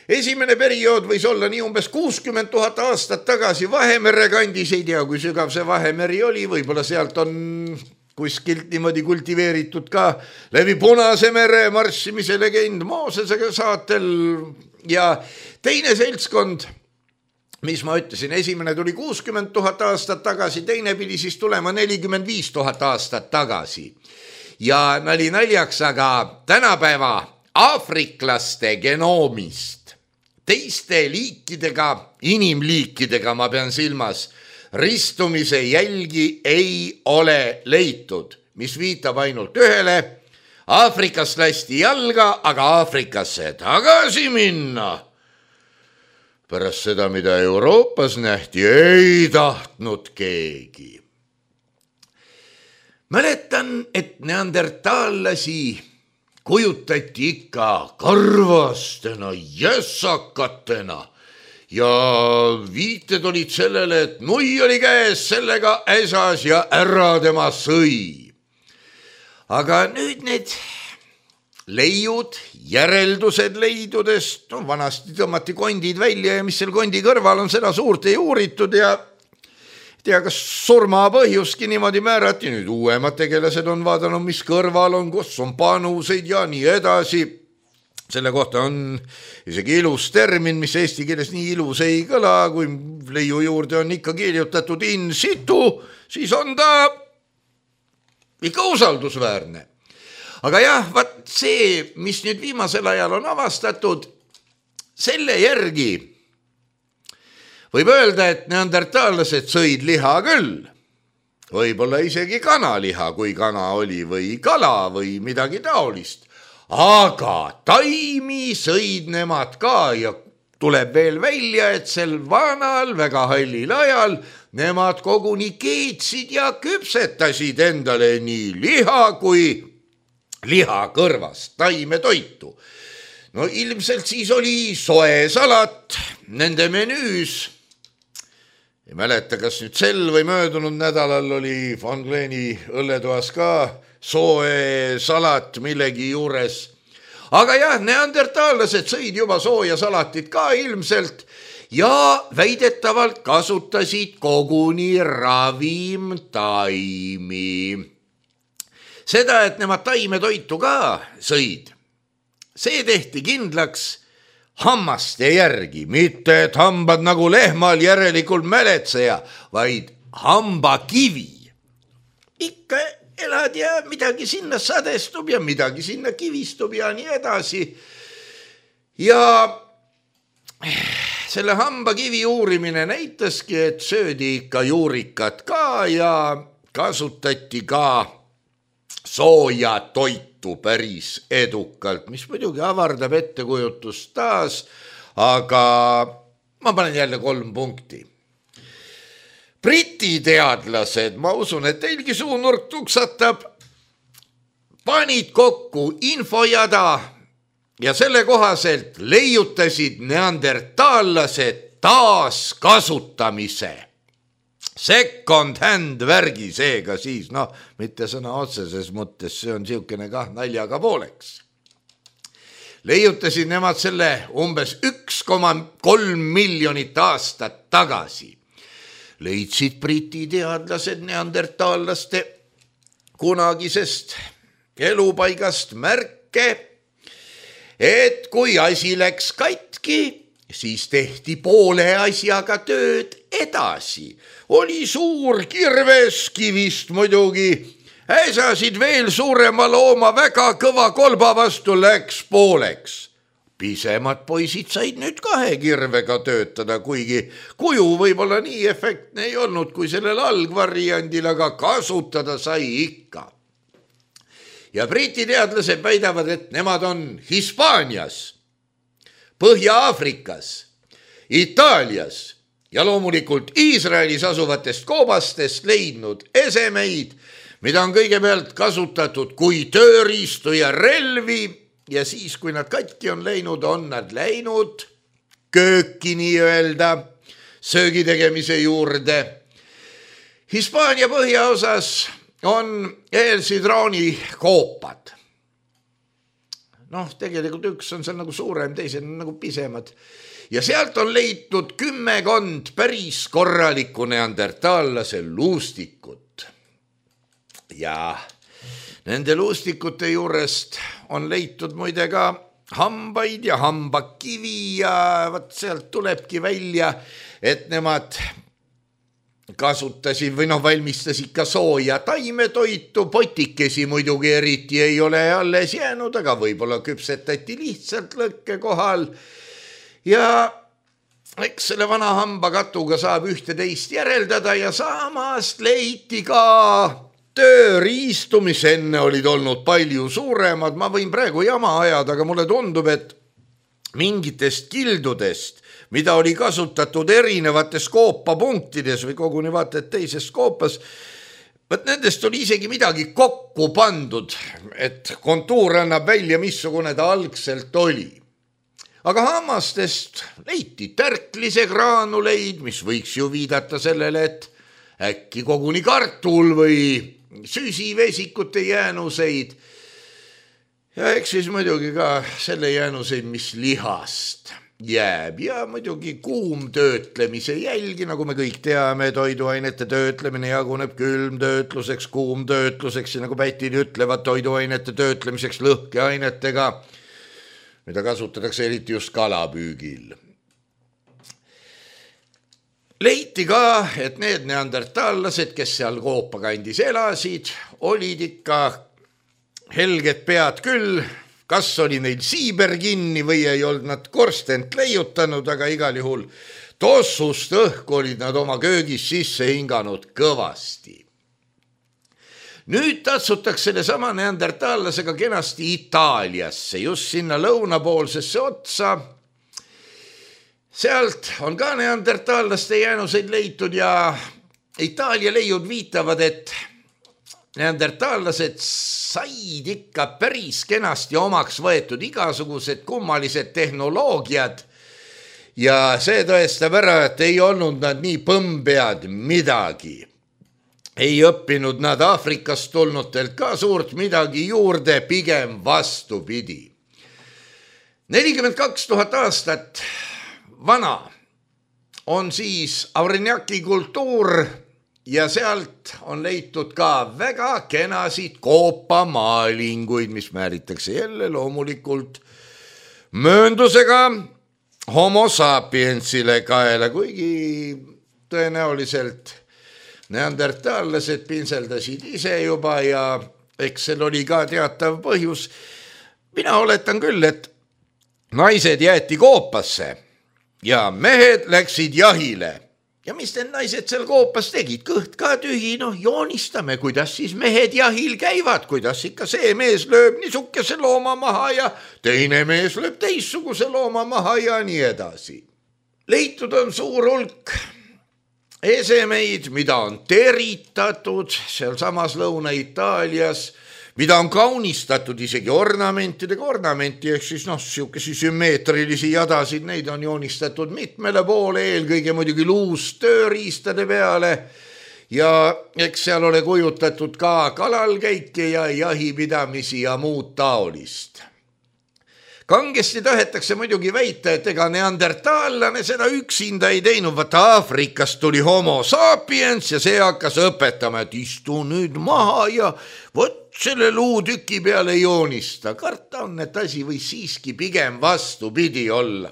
Esimene periood võis olla nii umbes kuuskümmend tuhat aastat tagasi Vahemere kandis, ei tea, kui sügav see Vahemeri oli, võib-olla sealt on kuskilt niimoodi kultiveeritud ka läbi Punase mere marssimise legend Moosese saatel ja teine seltskond, mis ma ütlesin, esimene tuli kuuskümmend tuhat aastat tagasi, teine pidi siis tulema nelikümmend viis tuhat aastat tagasi ja nali naljaks, aga tänapäeva aafriklaste genoomist teiste liikidega, inimliikidega, ma pean silmas, ristumise jälgi ei ole leitud, mis viitab ainult ühele. Aafrikast lasti jalga, aga Aafrikasse tagasi minna. Pärast seda, mida Euroopas nähti, ei tahtnud keegi. Mäletan, et neandertaallasi kujutati ikka karvastena, jässakatena ja viited olid sellele, et nui oli käes, sellega äsas ja ära tema sõi. Aga nüüd need leiud, järeldused leidudest, no vanasti tõmmati kondid välja ja mis seal kondi kõrval on, seda suurt ei uuritud ja tea, kas surma põhjuski niimoodi määrati. Nüüd uuemad tegelased on vaadanud, mis kõrval on, kus on panuseid ja nii edasi. Selle kohta on isegi ilus termin, mis eesti keeles nii ilus ei kõla, kui leiu juurde on ikka kirjutatud in situ, siis on ta ikka usaldusväärne. Aga jah, vaat see, mis nüüd viimasel ajal on avastatud, selle järgi võib öelda, et neandertaallased sõid liha küll, võib-olla isegi kanaliha, kui kana oli, või kala või midagi taolist. Aga taimi sõid nemad ka ja tuleb veel välja, et sel vanal väga hallil ajal nemad koguni keetsid ja küpsetasid endale nii liha kui liha kõrvast taimetoitu. No ilmselt siis oli soe salat nende menüüs. Ei mäleta, kas nüüd sel või möödunud nädalal oli Von Gleni õlletoas ka soe salat millegi juures. Aga jah, neandertaallased sõid juba sooja salatit ka ilmselt ja väidetavalt kasutasid koguni ravimtaimi. Seda, et nemad taimetoitu ka sõid, see tehti kindlaks hammaste järgi, mitte et hambad nagu lehmal järelikult mäletseja, vaid hambakivi. Ikka elad ja midagi sinna sadestub ja midagi sinna kivistub ja nii edasi. Ja selle hambakivi uurimine näitaski, et söödi ikka juurikat ka ja kasutati ka sooja toitu päris edukalt, mis muidugi avardab ettekujutust taas, aga ma panen jälle kolm punkti. Briti teadlased, ma usun, et teilgi suunurk tuksatab, panid kokku infojada ja selle kohaselt leiutasid neandertaallased taaskasutamise. Second hand värgi seega siis, noh, mitte sõna otseses mõttes, see on siukene kah naljaga pooleks. Leiutasid nemad selle umbes üks koma kolm miljonit aastat tagasi. Leidsid briti teadlased neandertaallaste kunagisest elupaigast märke, et kui asi läks katki, siis tehti poole asjaga tööd edasi. Oli suur kirves kivist muidugi, äsasid veel suurema looma väga kõva kolba vastu läks pooleks. Pisemad poisid said nüüd kahe kirvega töötada, kuigi kuju võib-olla nii efektne ei olnud kui sellel algvariandil, aga kasutada sai ikka. Ja briti teadlased väidavad, et nemad on Hispaanias, Põhja-Aafrikas, Itaalias ja loomulikult Iisraelis asuvatest koobastest leidnud esemeid, mida on kõigepealt kasutatud kui tööriistu ja relvi ja siis, kui nad katki on läinud, on nad läinud kööki nii-öelda söögi tegemise juurde. Hispaania põhjaosas on eelsidrooni koopad. Noh, tegelikult üks on seal nagu suurem, teised on nagu pisemad. Ja sealt on leitud kümmekond päris korralikku neandertaallase luustikut. Ja nende luustikute juurest on leitud muide ka hambaid ja hambakivi ja võt sealt tulebki välja, et nemad kasutasid või noh, valmistasid ka sooja taimetoitu, potikesi muidugi eriti ei ole alles jäänud, aga võib-olla küpsetati lihtsalt lõkke kohal. Ja eks selle vana hambakatuga saab ühte teist järeldada ja samast leiti ka tööriistu, mis enne olid olnud palju suuremad. Ma võin praegu jama ajada, aga mulle tundub, et mingitest kildudest, mida oli kasutatud erinevates koopapunktides või koguni vaata, et teises koopas, võt nendest oli isegi midagi kokku pandud, et kontuur annab välja, missugune ta algselt oli. Aga hammastest leiti tärklise graanuleid, mis võiks ju viidata sellele, et äkki koguni kartul või süsivesikute jäänuseid. Ja eks siis muidugi ka selle jäänuseid, mis lihast jääb ja muidugi kuumtöötlemise jälgi, nagu me kõik teame, toiduainete töötlemine jaguneb külmtöötluseks, kuumtöötluseks ja nagu pätid ütlevad, toiduainete töötlemiseks lõhkeainetega, mida kasutatakse eriti just kalapüügil. Leiti ka, et need neandertaallased, kes seal koopakandis elasid, olid ikka helged pead küll, kas oli neil siiber kinni või ei olnud nad korstent leiutanud, aga igal juhul tossust õhku olid nad oma köögis sisse hinganud kõvasti. nüüd tatsutakse selle sama neandertaallasega kenasti Itaaliasse, just sinna lõunapoolsesse otsa. Sealt on ka neandertaallaste jäänuseid leitud ja Itaalia leiud viitavad, et neandertaallased said ikka päris kenasti omaks võetud igasugused kummalised tehnoloogiad ja see tõestab ära, et ei olnud nad nii põmbead midagi. Ei õppinud nad Aafrikast tulnutelt ka suurt midagi juurde, pigem vastupidi. nelikümmend kaks tuhat aastat vana on siis Aurignaci kultuur ja sealt on leitud ka väga kenasid koopamaalinguid, mis määritakse jälle loomulikult mööndusega homo sapiensile kaela, kuigi tõenäoliselt neandertaallased pinseldasid ise juba ja eks seal oli ka teatav põhjus. Mina oletan küll, et naised jäeti koopasse ja mehed läksid jahile. Ja mis need naised seal koopas tegid? Kõht ka tühi, noh joonistame, kuidas siis mehed jahil käivad, kuidas ikka see mees lööb niisuguse looma maha ja teine mees lööb teissuguse looma maha ja nii edasi. Leitud on suur hulk esemeid, mida on teritatud seal samas Lõuna-Itaalias, mida on kaunistatud isegi ornamentidega, ornamenti ehk siis noh, siukesi sümmeetrilisi jadasid, neid on joonistatud mitmele poole, eelkõige muidugi luust tööriistade peale ja eks seal ole kujutatud ka kalalkäike ja jahipidamisi ja muud taolist. Kangesti tahetakse muidugi väita, et ega neandertaallane seda üksinda ei teinud, vaata Aafrikast tuli homo sapiens ja see hakkas õpetama, et istu nüüd maha ja vot selle luutüki peale joonista. Karta on, et asi võis siiski pigem vastupidi olla.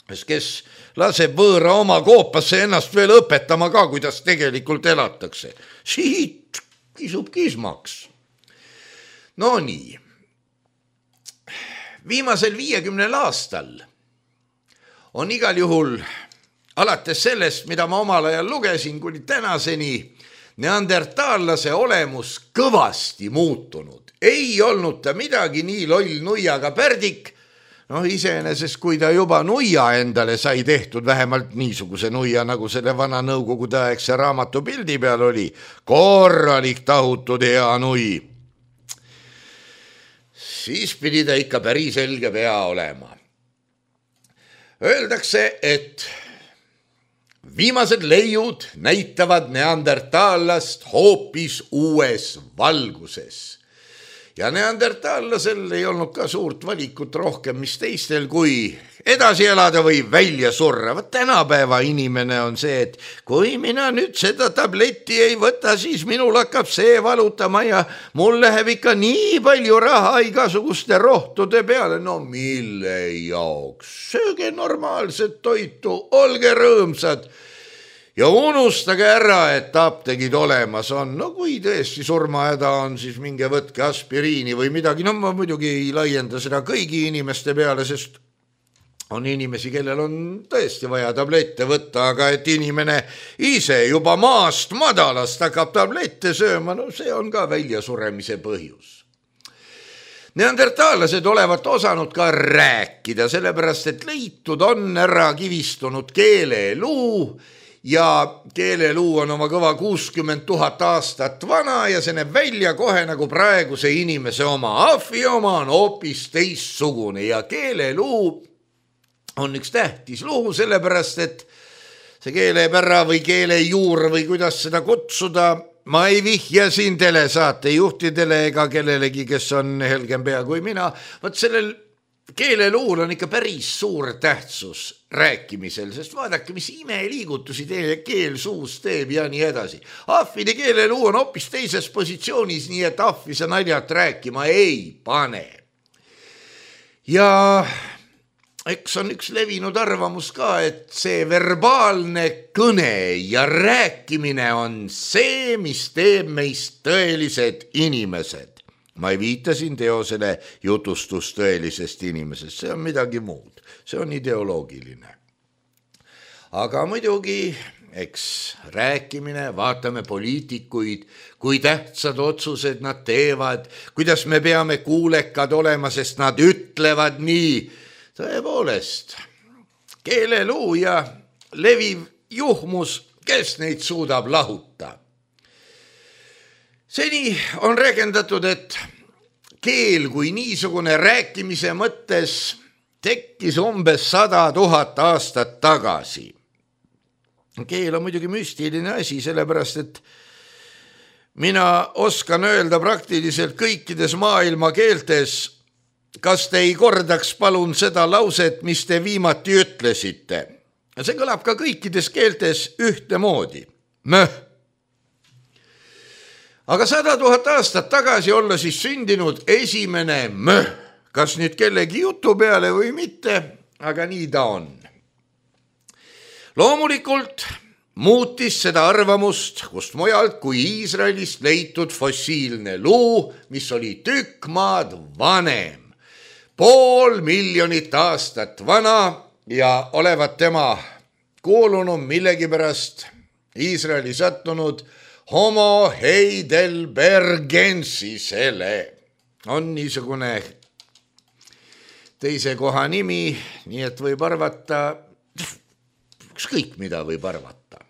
Kes laseb võõra oma koopasse ennast veel õpetama ka, kuidas tegelikult elatakse. Siit kisub kismaks. No nii. Viimasel viiekümnel aastal on igal juhul alates sellest, mida ma omal ajal lugesin, kuni tänaseni neandertaallase olemus kõvasti muutunud. Ei olnud ta midagi nii loll nuiaga pärdik, noh iseenesest kui ta juba nuia endale sai tehtud, vähemalt niisuguse nuia, nagu selle vana nõukogude aegse raamatu pildi peal oli, korralik tahutud hea nui. Siis pidi ta ikka päris selge pea olema. Öeldakse, et viimased leiud näitavad neandertaallast hoopis uues valguses. Ja neandertaallasel ei olnud ka suurt valikut rohkem, mis teistel kui edasi elada või välja surra. Vaat tänapäeva inimene on see, et kui mina nüüd seda tabletti ei võta, siis minul hakkab see valutama ja mul läheb ikka nii palju raha igasuguste rohtude peale. No mille jaoks? Sööge normaalset toitu, olge rõõmsad. Ja unustage ära, et apteegid olemas on. No kui tõesti surmahäda on, siis minge võtke aspiriini või midagi. No ma muidugi ei laienda seda kõigi inimeste peale, sest on inimesi, kellel on tõesti vaja tablette võtta, aga et inimene ise juba maast madalast hakkab tablette sööma, no see on ka väljasuremise põhjus. Neandertaallased olevat osanud ka rääkida, sellepärast et leitud on ära kivistunud keeleluu, ja keeleluu on oma kõva kuuskümmend tuhat aastat vana ja see näeb välja kohe nagu praeguse inimese oma. Ahvi oma on hoopis teissugune ja keeleluu on üks tähtis luu, sellepärast et see keelepära või keelejuur või kuidas seda kutsuda, ma ei vihja siin telesaatejuhtidele ega kellelegi, kes on helgem pea kui mina. Võt sellel keeleluul on ikka päris suur tähtsus rääkimisel, sest vaadake, mis imeliigutusi teie keel suus teeb ja nii edasi. Ahvide keeleluu on hoopis teises positsioonis, nii et ahvi sa naljat rääkima ei pane. Ja eks on üks levinud arvamus ka, et see verbaalne kõne ja rääkimine on see, mis teeb meist tõelised inimesed. Ma ei viita siin teosele jutustus tõelisest inimesest, see on midagi muud, see on ideoloogiline. Aga muidugi eks rääkimine, vaatame poliitikuid, kui tähtsad otsused nad teevad, kuidas me peame kuulekad olema, sest nad ütlevad nii. Tõepoolest, keeleluu ja leviv juhmus, kes neid suudab lahuta. Seni on räägendatud, et keel kui niisugune rääkimise mõttes tekkis umbes sada tuhat aastat tagasi. Keel on muidugi müstiline asi, sellepärast et mina oskan öelda praktiliselt kõikides maailma keeltes, kas te ei kordaks palun seda lauset, mis te viimati ütlesite. See kõlab ka kõikides keeltes ühtemoodi. Möh. Aga sada tuhat aastat tagasi olla siis sündinud esimene möh, kas nüüd kellegi jutu peale või mitte, aga nii ta on. Loomulikult muutis seda arvamust, kust mujalt kui Iisraelist leitud fossiilne luu, mis oli tükk maad vanem, pool miljonit aastat vana ja olevat tema kuulunum millegipärast Iisraeli sattunud Homo heidelbergensisele. On niisugune teise koha nimi, nii et võib arvata, ükskõik mida võib arvata.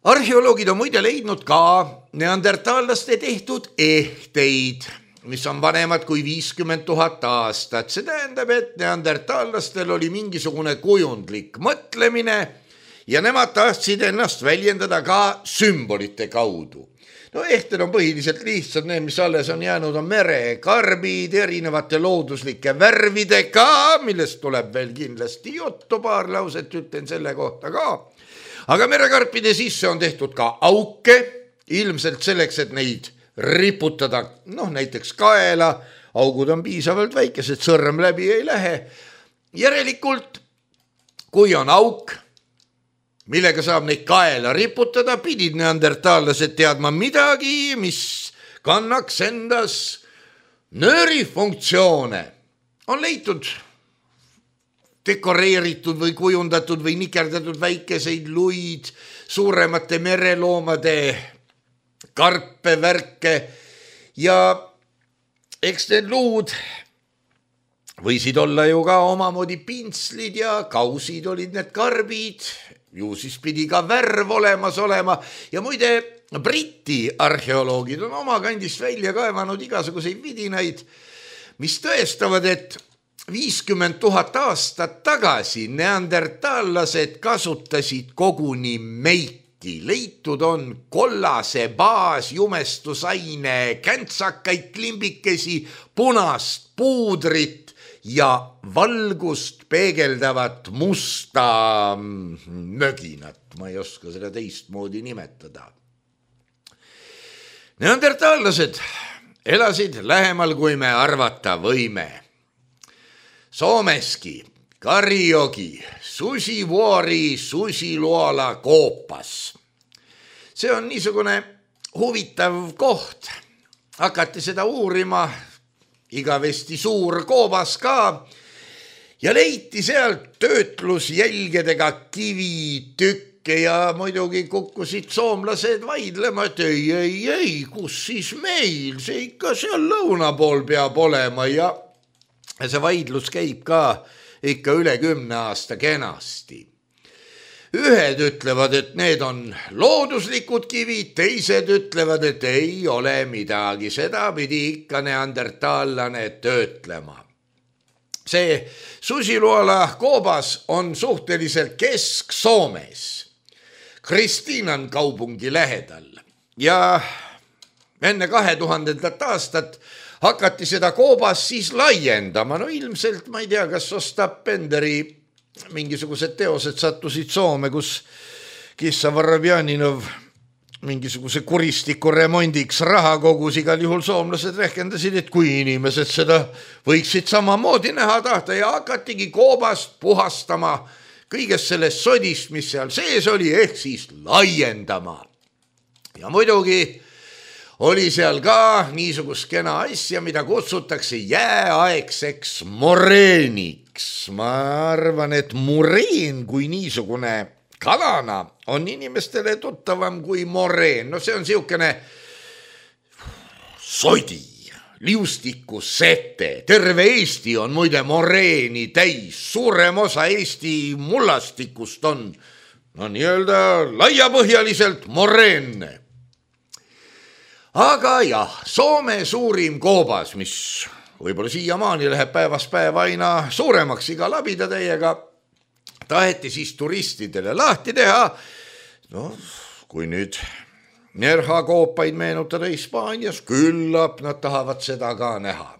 Arheoloogid on muide leidnud ka neandertaallaste tehtud ehteid, mis on vanemad kui viiskümmend tuhat aastat. See tähendab, et neandertaallastel oli mingisugune kujundlik mõtlemine ja nemad tahtsid ennast väljendada ka sümbolite kaudu. No ehted on põhiliselt lihtsalt, need, mis alles on jäänud, on merekarbid erinevate looduslike värvidega, millest tuleb veel kindlasti juttu, paar lauset ütlen selle kohta ka. Aga merekarpide sisse on tehtud ka auke, ilmselt selleks, et neid riputada, noh näiteks kaela, augud on piisavalt väikesed, sõrm läbi ei lähe. Järelikult, kui on auk, millega saab neid kaela riputada, pidid neandertaallased teadma midagi, mis kannaks endas nöörifunktsioone. On leitud dekoreeritud või kujundatud või nikerdatud väikeseid luid, suuremate mereloomade karpe, värke ja eks need luud võisid olla ju ka omamoodi pintslid ja kausid olid need karbid, ju siis pidi ka värv olemas olema ja muide Briti arheoloogid on oma kandist välja kaevanud igasuguseid vidinaid, mis tõestavad, et viiskümmend tuhat aastat tagasi neandertaallased kasutasid koguni meiki. Leitud on kollase baasjumestusaine, käntsakaid klimbikesi, punast puudrit ja valgust peegeldavat musta möginat. Ma ei oska seda teistmoodi nimetada. Neandertaallased elasid lähemal, kui me arvata võime. Soomeski, Karjogi, Susivuori, Susiluola koopas. See on niisugune huvitav koht. Hakati seda uurima, igavesti suur koobas ka ja leiti sealt töötlusjälgedega kivitükke ja muidugi kukkusid soomlased vaidlema, et ei, ei, ei, kus siis meil, see ikka seal lõuna pool peab olema ja see vaidlus käib ka ikka üle kümne aasta kenasti. Ühed ütlevad, et need on looduslikud kivid, teised ütlevad, et ei ole midagi, seda pidi ikka neandertaallane töötlema. See Susiluola koobas on suhteliselt Kesk-Soomes, Kristiinan kaupungi lähedal ja enne kahe tuhandendat aastat hakati seda koobas siis laiendama. No ilmselt, ma ei tea, kas Ostap Benderi mingisugused teosed sattusid Soome, kus Kissa Varavjaninov mingisuguse kuristiku remondiks raha kogus. Igal juhul soomlased rehkendasid, et kui inimesed seda võiksid samamoodi näha tahta ja hakatigi koobast puhastama kõigest sellest sodist, mis seal sees oli, ehk siis laiendama. Ja muidugi oli seal ka niisugust kena asja, mida kutsutakse jääaegseks moreeniks. Ma arvan, et moreen kui niisugune kalana on inimestele tuttavam kui moreen. No see on siukene sodi, liustiku sete. Terve Eesti on muide moreeni täis. Suurem osa Eesti mullastikust on no nii-öelda laiapõhjaliselt moreenne. Aga jah, Soome suurim koobas, mis võib-olla siiamaani läheb päevast päeva aina suuremaks iga labidatäiega, taheti siis turistidele lahti teha. No, kui nüüd nerhakoopaid meenutada Hispaanias, küllap nad tahavad seda ka näha.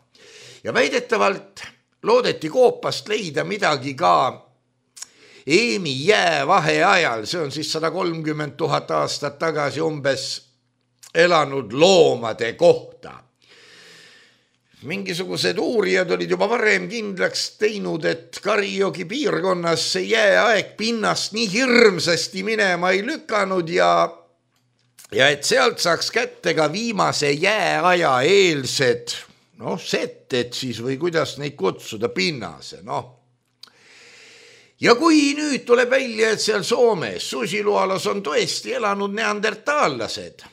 Ja väidetavalt loodeti koopast leida midagi ka Eemi jäävahe ajal, see on siis sada kolmkümmend tuhat aastat tagasi umbes elanud loomade kohta. Mingisugused uurijad olid juba varem kindlaks teinud, et Karijoki piirkonnas see jääaeg pinnast nii hirmsasti minema ei lükanud ja, ja et sealt saaks kätte ka viimase jääaja eelsed, noh, setted siis või kuidas neid kutsuda, pinnase, noh. Ja kui nüüd tuleb välja, et seal Soomes Susilualas on tõesti elanud neandertaallased,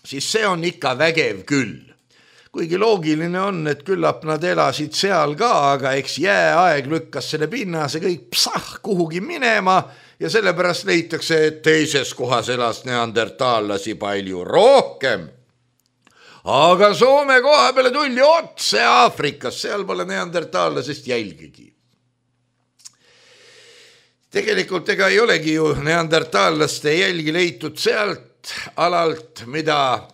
siis see on ikka vägev küll. Kuigi loogiline on, et küllap nad elasid seal ka, aga eks jääaeg lükkas selle pinnase kõik psah kuhugi minema ja sellepärast leitakse, et teises kohas elas neandertaallasi palju rohkem. Aga Soome koha peale tulli otse Aafrikas, seal pole neandertaallasest jälgigi. Tegelikult ega ei olegi ju neandertaallaste jälgi leitud sealt alalt, mida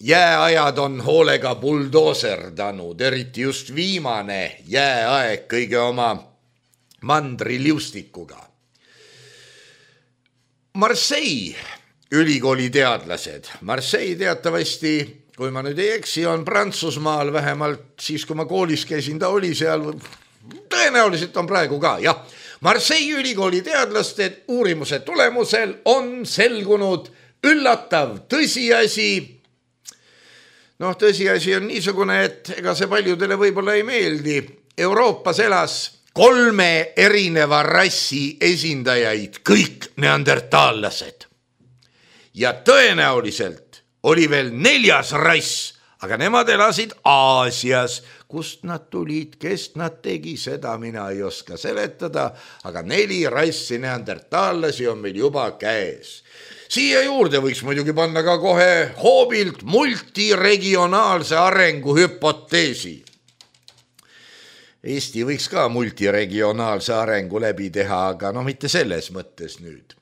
jääajad on hoolega buldooserdanud, eriti just viimane jääaeg kõige oma mandriliustikuga. Marseille ülikooli teadlased. Marseille teatavasti, kui ma nüüd ei eksi, on Prantsusmaal vähemalt siis, kui ma koolis käisin, ta oli seal, tõenäoliselt on praegu ka, jah. Marseille ülikooli teadlaste uurimuse tulemusel on selgunud üllatav tõsiasi. Noh, tõsiasi on niisugune, et ega see paljudele võib-olla ei meeldi. Euroopas elas kolme erineva rassi esindajaid, kõik neandertaallased. Ja tõenäoliselt oli veel neljas rass, aga nemad elasid Aasias. Kust nad tulid, kes nad tegi, seda mina ei oska seletada, aga neli rassi neandertaallasi on meil juba käes. Siia juurde võiks muidugi panna ka kohe hoobilt multiregionaalse arengu hüpoteesi. Eesti võiks ka multiregionaalse arengu läbi teha, aga no mitte selles mõttes nüüd.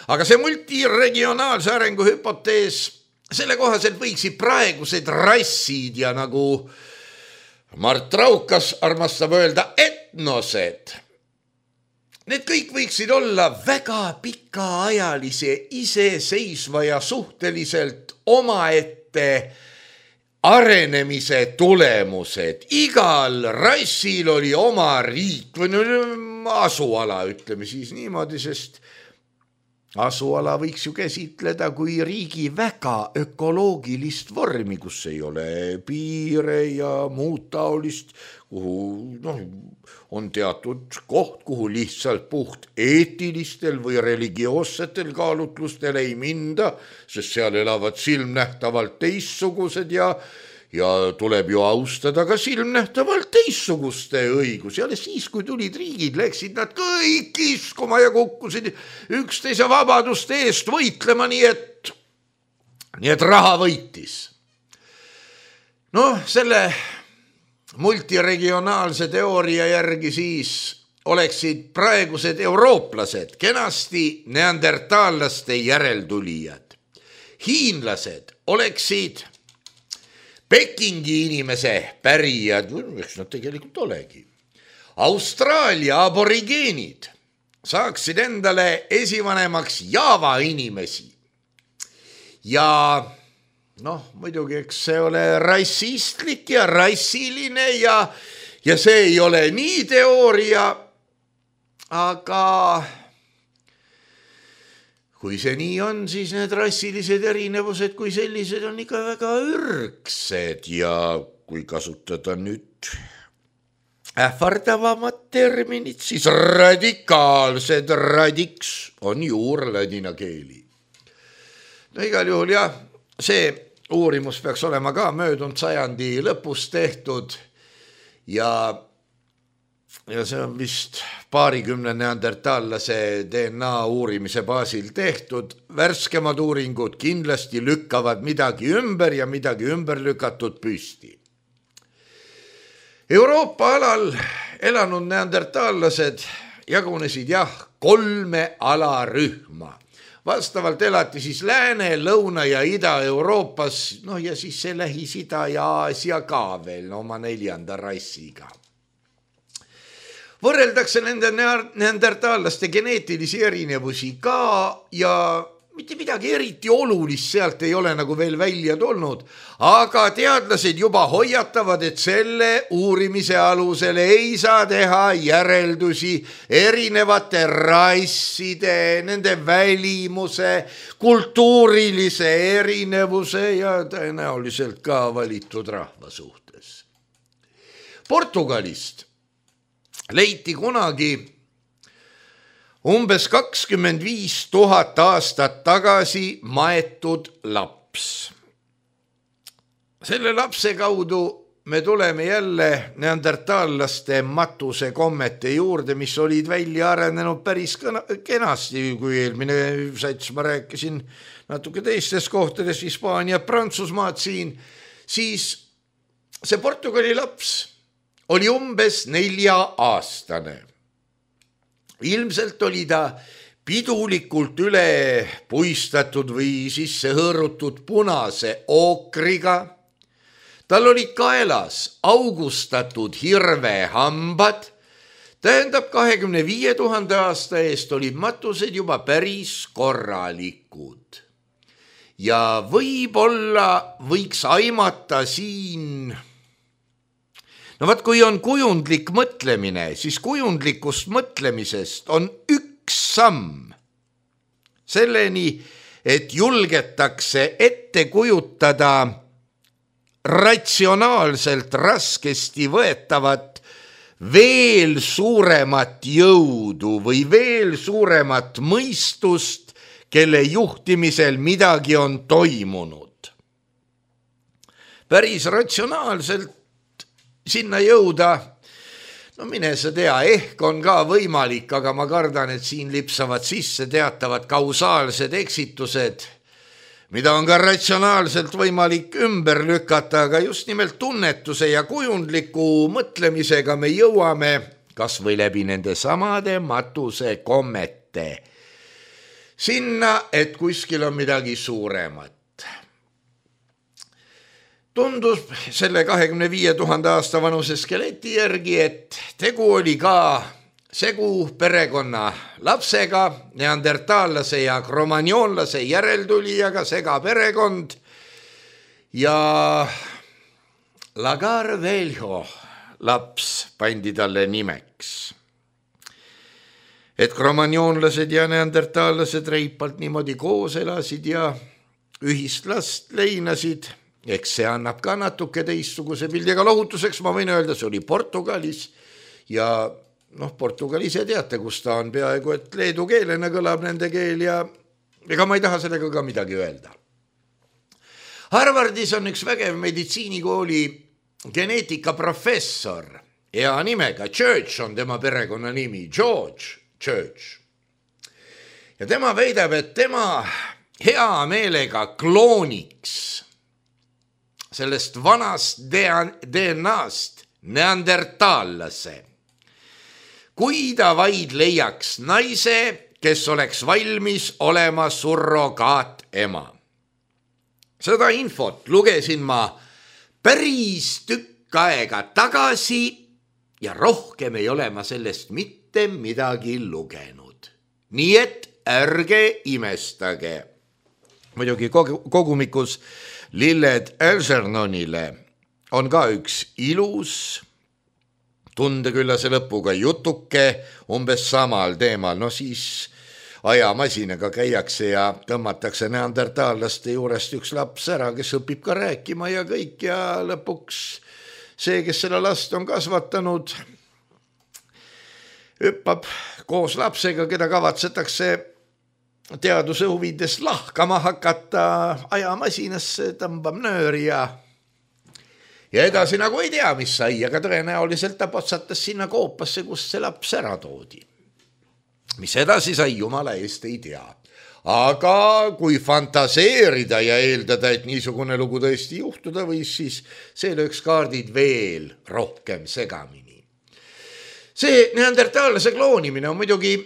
Aga see multiregionaalse arengu hüpotees, selle kohaselt võiksid praegused rassid ja nagu Mart Raukas armastab öelda etnosed. Need kõik võiksid olla väga pikaajalise, iseseisva ja suhteliselt omaette arenemise tulemused. Igal rassil oli oma riik või asuala, ütleme siis niimoodi, sest asuala võiks ju käsitleda kui riigi väga ökoloogilist vormi, kus ei ole piire ja muud taolist, kuhu noh, on teatud koht, kuhu lihtsalt puht eetilistel või religioossetel kaalutlustel ei minda, sest seal elavad silmnähtavalt teissugused ja Ja tuleb ju austada ka silmnähtavalt teissuguste õigusi. Ja siis, kui tulid riigid, läksid nad kõik iskuma ja kukkusid üksteise vabaduste eest võitlema, nii et, nii et raha võitis. Noh, selle multiregionaalse teooria järgi siis oleksid praegused eurooplased kenasti neandertaallaste järeltulijad. Hiinlased oleksid Pekingi inimese pärijad, eks nad tegelikult olegi. Austraalia aborigeenid saaksid endale esivanemaks Java inimesi. Ja noh, muidugi, eks see ole rassistlik ja rassiline ja, ja see ei ole nii teooria, aga kui see nii on, siis need rassilised erinevused kui sellised on ikka väga ürgsed ja kui kasutada nüüd ähvardavamad terminid, siis radikaalsed, radiks on juurladina keeli. No igal juhul jah, see uurimus peaks olema ka möödunud sajandi lõpus tehtud ja ja see on vist paarikümne neandertaallase D N A uurimise baasil tehtud. Värskemad uuringud kindlasti lükkavad midagi ümber ja midagi ümber lükatud püsti. Euroopa alal elanud neandertaallased jagunesid jah kolme alarühma. Vastavalt elati siis Lääne, Lõuna ja Ida-Euroopas, no ja siis see Lähis-Ida ja Aasia ka veel no, oma neljanda rassiga. Võrreldakse nende neandertaallaste geneetilisi erinevusi ka ja mitte midagi eriti olulist sealt ei ole nagu veel välja tulnud, aga teadlased juba hoiatavad, et selle uurimise alusel ei saa teha järeldusi erinevate rasside, nende välimuse, kultuurilise erinevuse ja tõenäoliselt ka valitud rahva suhtes. Portugalist leiti kunagi umbes kakskümmend viis tuhat aastat tagasi maetud laps. Selle lapse kaudu me tuleme jälle neandertaallaste matuse kommete juurde, mis olid välja arenenud päris kenasti, kui eelmine sats ma rääkisin natuke teistes kohtades, Hispaania, Prantsusmaad siin, siis see Portugali laps oli umbes nelja aastane. Ilmselt oli ta pidulikult üle puistatud või sisse hõõrutud punase ookriga. Tal olid kaelas augustatud hirvehambad. Tähendab, kahekümne viie tuhande aasta eest olid matused juba päris korralikud. Ja võib-olla võiks aimata siin... No vaat, kui on kujundlik mõtlemine, siis kujundlikust mõtlemisest on üks samm selleni, et julgetakse ette kujutada ratsionaalselt raskesti võetavat veel suuremat jõudu või veel suuremat mõistust, kelle juhtimisel midagi on toimunud. Päris ratsionaalselt sinna jõuda, no mine sa tea, ehk on ka võimalik, aga ma kardan, et siin lipsavad sisse teatavad kausaalsed eksitused, mida on ka ratsionaalselt võimalik ümber lükata, aga just nimelt tunnetuse ja kujundliku mõtlemisega me jõuame kas või läbi nende samade matuse kommete sinna, et kuskil on midagi suuremat. Tundus selle kahekümne viie tuhande aasta vanuse skeleti järgi, et tegu oli ka segu perekonna lapsega, neandertaallase ja kromagnoonlase järeltulijaga, sega perekond ja Lagar Velho laps pandi talle nimeks. Et kromagnoonlased ja neandertaallased reipalt niimoodi koos elasid ja ühist last leinasid. Eks see annab ka natuke teistsuguse pildi, aga lohutuseks ma võin öelda, see oli Portugalis ja noh, Portugalis ja teate, kus ta on peaaegu, et leedu keelena kõlab nende keel ja ega ma ei taha sellega ka midagi öelda. Harvardis on üks vägev meditsiinikooli geneetikaprofessor, hea nimega Church on tema perekonna nimi, George Church. Ja tema väidab, et tema hea meelega klooniks sellest vanast D N A-st neandertaallase. Kui ta vaid leiaks naise, kes oleks valmis olema surrogaat ema. Seda infot lugesin ma päris tükk aega tagasi ja rohkem ei ole ma sellest mitte midagi lugenud. Nii et ärge imestage. Muidugi kogumikus Lilled Algernonile on ka üks ilus tundeküllase lõpuga jutuke umbes samal teemal. No siis ajamasinaga käiakse ja tõmmatakse neandertaallaste juurest üks laps ära, kes õpib ka rääkima ja kõik ja lõpuks see, kes selle last on kasvatanud, hüppab koos lapsega, keda kavatsetakse teaduse huvides lahkama hakata, ajamasinasse tõmbab nööri ja ja edasi nagu ei tea, mis sai, aga tõenäoliselt ta potsatas sinna koopasse, kus see laps ära toodi. Mis edasi sai, jumala eest ei tea. Aga kui fantaseerida ja eeldada, et niisugune lugu tõesti juhtuda võis, siis see lööks kaardid veel rohkem segamini. See neandertaallase kloonimine on muidugi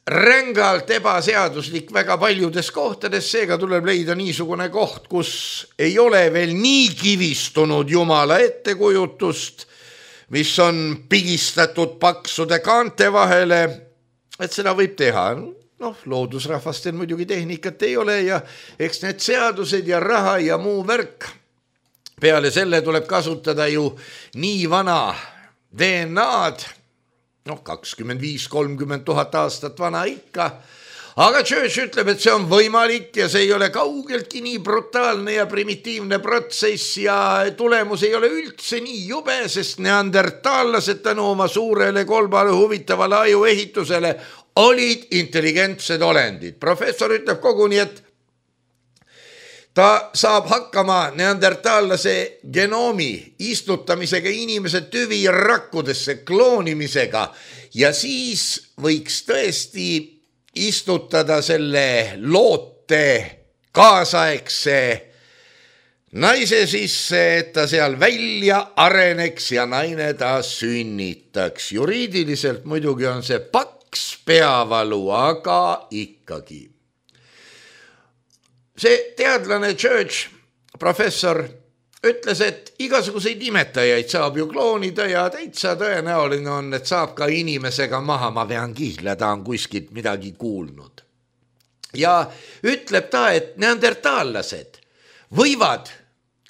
rängalt ebaseaduslik väga paljudes kohtades, seega tuleb leida niisugune koht, kus ei ole veel nii kivistunud jumala ettekujutust, mis on pigistatud paksude kaante vahele, et seda võib teha. Noh, loodusrahvastel muidugi tehnikat ei ole ja eks need seadused ja raha ja muu värk. Peale selle tuleb kasutada ju nii vana D N A-d, noh, kakskümmend viis kolmkümmend tuhat aastat vana ikka, aga Church ütleb, et see on võimalik ja see ei ole kaugeltki nii brutaalne ja primitiivne protsess ja tulemus ei ole üldse nii jube, sest neandertaallased tänu oma suurele kolmale huvitavale ajuehitusele olid intelligentsed olendid. Professor ütleb koguni, et ta saab hakkama neandertaallase genoomi istutamisega inimese tüvi rakkudesse, kloonimisega ja siis võiks tõesti istutada selle loote kaasaegse naise sisse, et ta seal välja areneks ja naine ta sünnitaks. Juriidiliselt muidugi on see paks peavalu, aga ikkagi. See teadlane Church, professor, ütles, et igasuguseid imetajaid saab ju kloonida ja täitsa tõenäoline on, et saab ka inimesega maha, ma vean kihla, ta on kuskilt midagi kuulnud. Ja ütleb ta, et neandertaallased võivad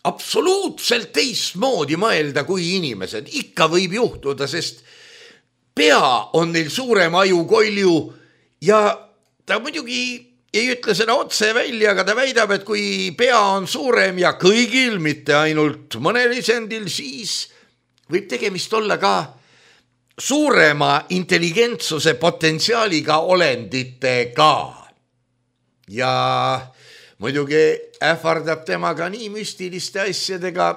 absoluutselt teistmoodi mõelda kui inimesed. Ikka võib juhtuda, sest pea on neil suurem ajukolju ja ta muidugi ei ütle seda otse välja, aga ta väidab, et kui pea on suurem ja kõigil, mitte ainult mõnel isendil, siis võib tegemist olla ka suurema intelligentsuse potentsiaaliga olenditega. Ja muidugi ähvardab temaga nii müstiliste asjadega,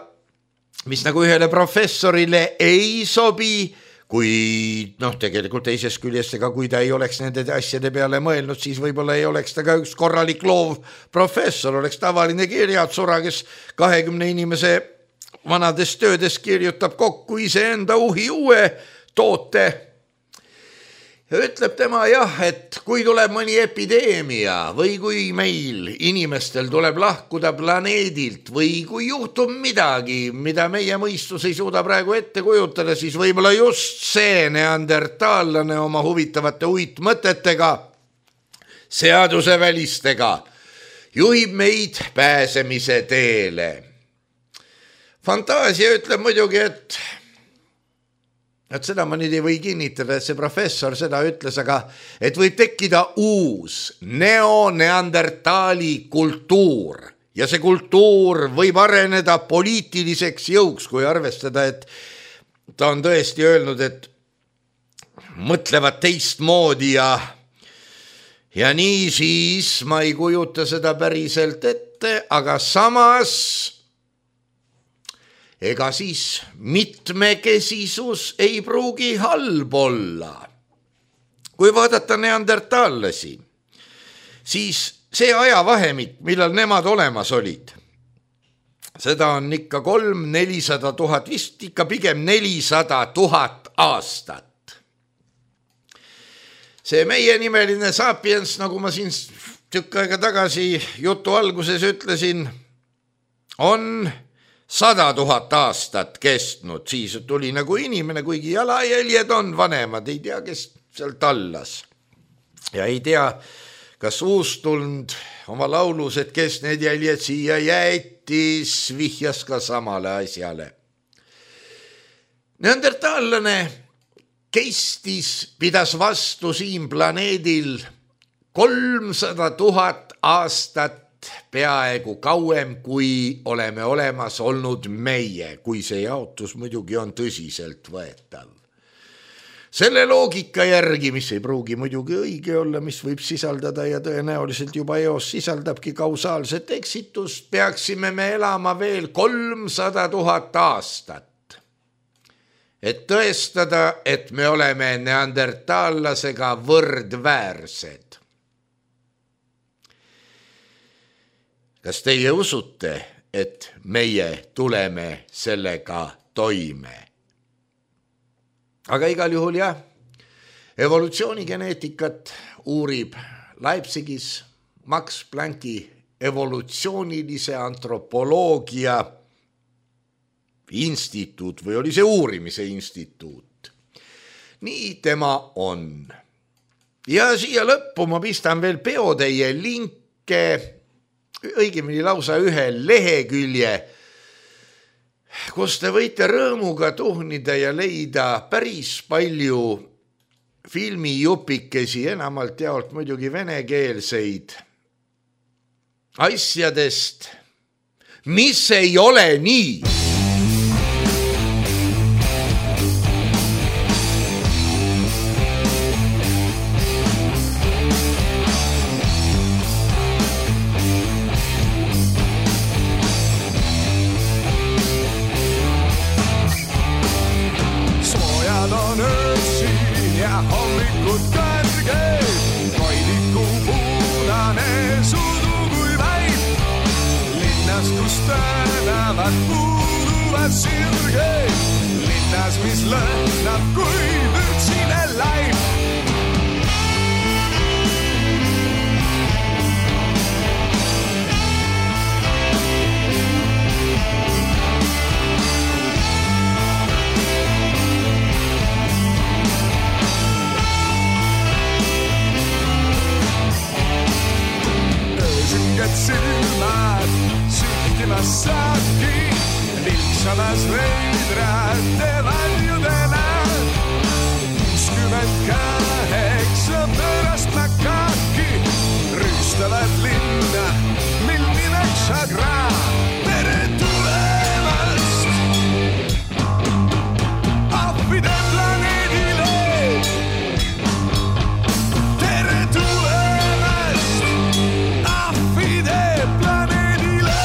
mis nagu ühele professorile ei sobi, kui noh, tegelikult teisest küljest, ega kui ta ei oleks nende asjade peale mõelnud, siis võib-olla ei oleks ta ka üks korralik loov professor, oleks tavaline kirjatsura, kes kahekümne inimese vanades töödes kirjutab kokku iseenda uhi uue toote. Ja ütleb tema jah, et kui tuleb mõni epideemia või kui meil inimestel tuleb lahkuda planeedilt või kui juhtub midagi, mida meie mõistus ei suuda praegu ette kujutada, siis võib-olla just see neandertaallane oma huvitavate uitmõtetega, seadusevälistega juhib meid pääsemise teele. Fantaasia ütleb muidugi, et et seda ma nüüd ei või kinnitada, et see professor seda ütles, aga et võib tekkida uus neoneandertaali kultuur ja see kultuur võib areneda poliitiliseks jõuks, kui arvestada, et ta on tõesti öelnud, et mõtlevad teistmoodi ja ja nii siis ma ei kujuta seda päriselt ette, aga samas ega siis mitmekesisus ei pruugi halb olla. Kui vaadata neandertaallasi, siis see ajavahemik, millal nemad olemas olid, seda on ikka kolm, nelisada tuhat, vist ikka pigem nelisada tuhat aastat. See meie nimeline sapiens, nagu ma siin tükk aega tagasi jutu alguses ütlesin, on sada tuhat aastat kestnud, siis tuli nagu inimene, kuigi jalajäljed on vanemad, ei tea, kes seal tallas. Ja ei tea, kas uustulnud oma laulus, et kes need jäljed siia jäetis, vihjas ka samale asjale. Neandertaallane kestis, pidas vastu siin planeedil kolmsada tuhat aastat peaaegu kauem, kui oleme olemas olnud meie, kui see jaotus muidugi on tõsiselt võetav. Selle loogika järgi, mis ei pruugi muidugi õige olla, mis võib sisaldada ja tõenäoliselt juba eos sisaldabki kausaalset eksitust, peaksime me elama veel kolmsada tuhat aastat. Et tõestada, et me oleme neandertaallasega võrdväärsed. Kas teie usute, et meie tuleme sellega toime? Aga igal juhul jah, evolutsioonigeneetikat uurib Leipzigis Max Plancki evolutsioonilise antropoloogia instituut või oli see uurimise instituut. Nii tema on. Ja siia lõppu ma pistan veel peoteie linke, õigemini lausa ühe lehekülje, kus te võite rõõmuga tuhnida ja leida päris palju filmijupikesi, enamalt jaolt muidugi venekeelseid asjadest, mis ei ole nii. Linnas, mis lõhnab kui vürtsine laip. Öösinged silmad süttimas saabki vilksamas veidrate valjudena. Kuuskümmend kaheksa pärast makaki rüüstavad linna, mil nimeks Agra. Tere tulemast ahvide planeedile. Tere tulemast ahvide planeedile.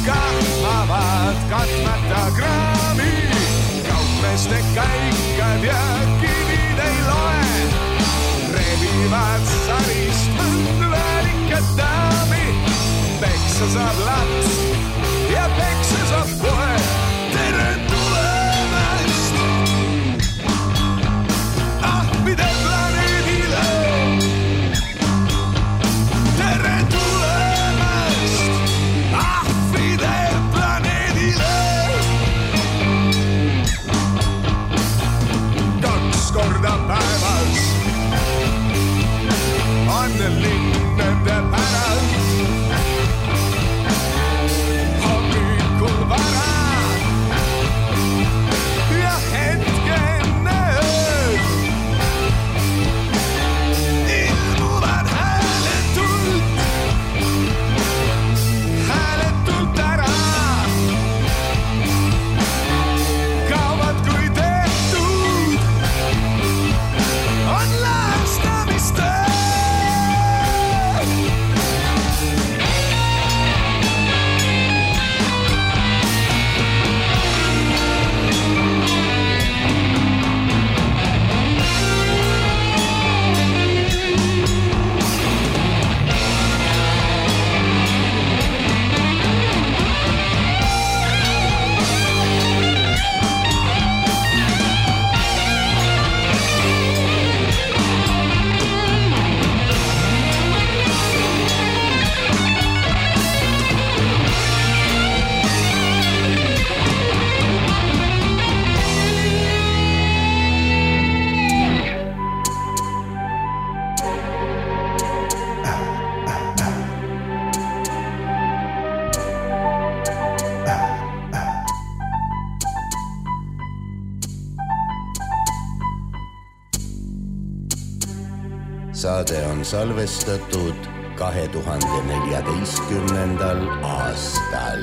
Kahmavad katmata kraami, kaupmeeste käikad ja kivid ei loe. Rebivad sarist mõndvälikat daami, peksa saab laps ja peksa saab kohe. Tere tulemast ahvide planeedile. Tere tulemast ahvide planeedile. Kaks korda päevas on linnade päralt. Hommikul vara ja hetkenne ööd ilmuvad hääletult, hääletult ära. Kaovad kui tehtud on laastamiste. saade on salvestatud kahe tuhande neljateistkümnendal aastal.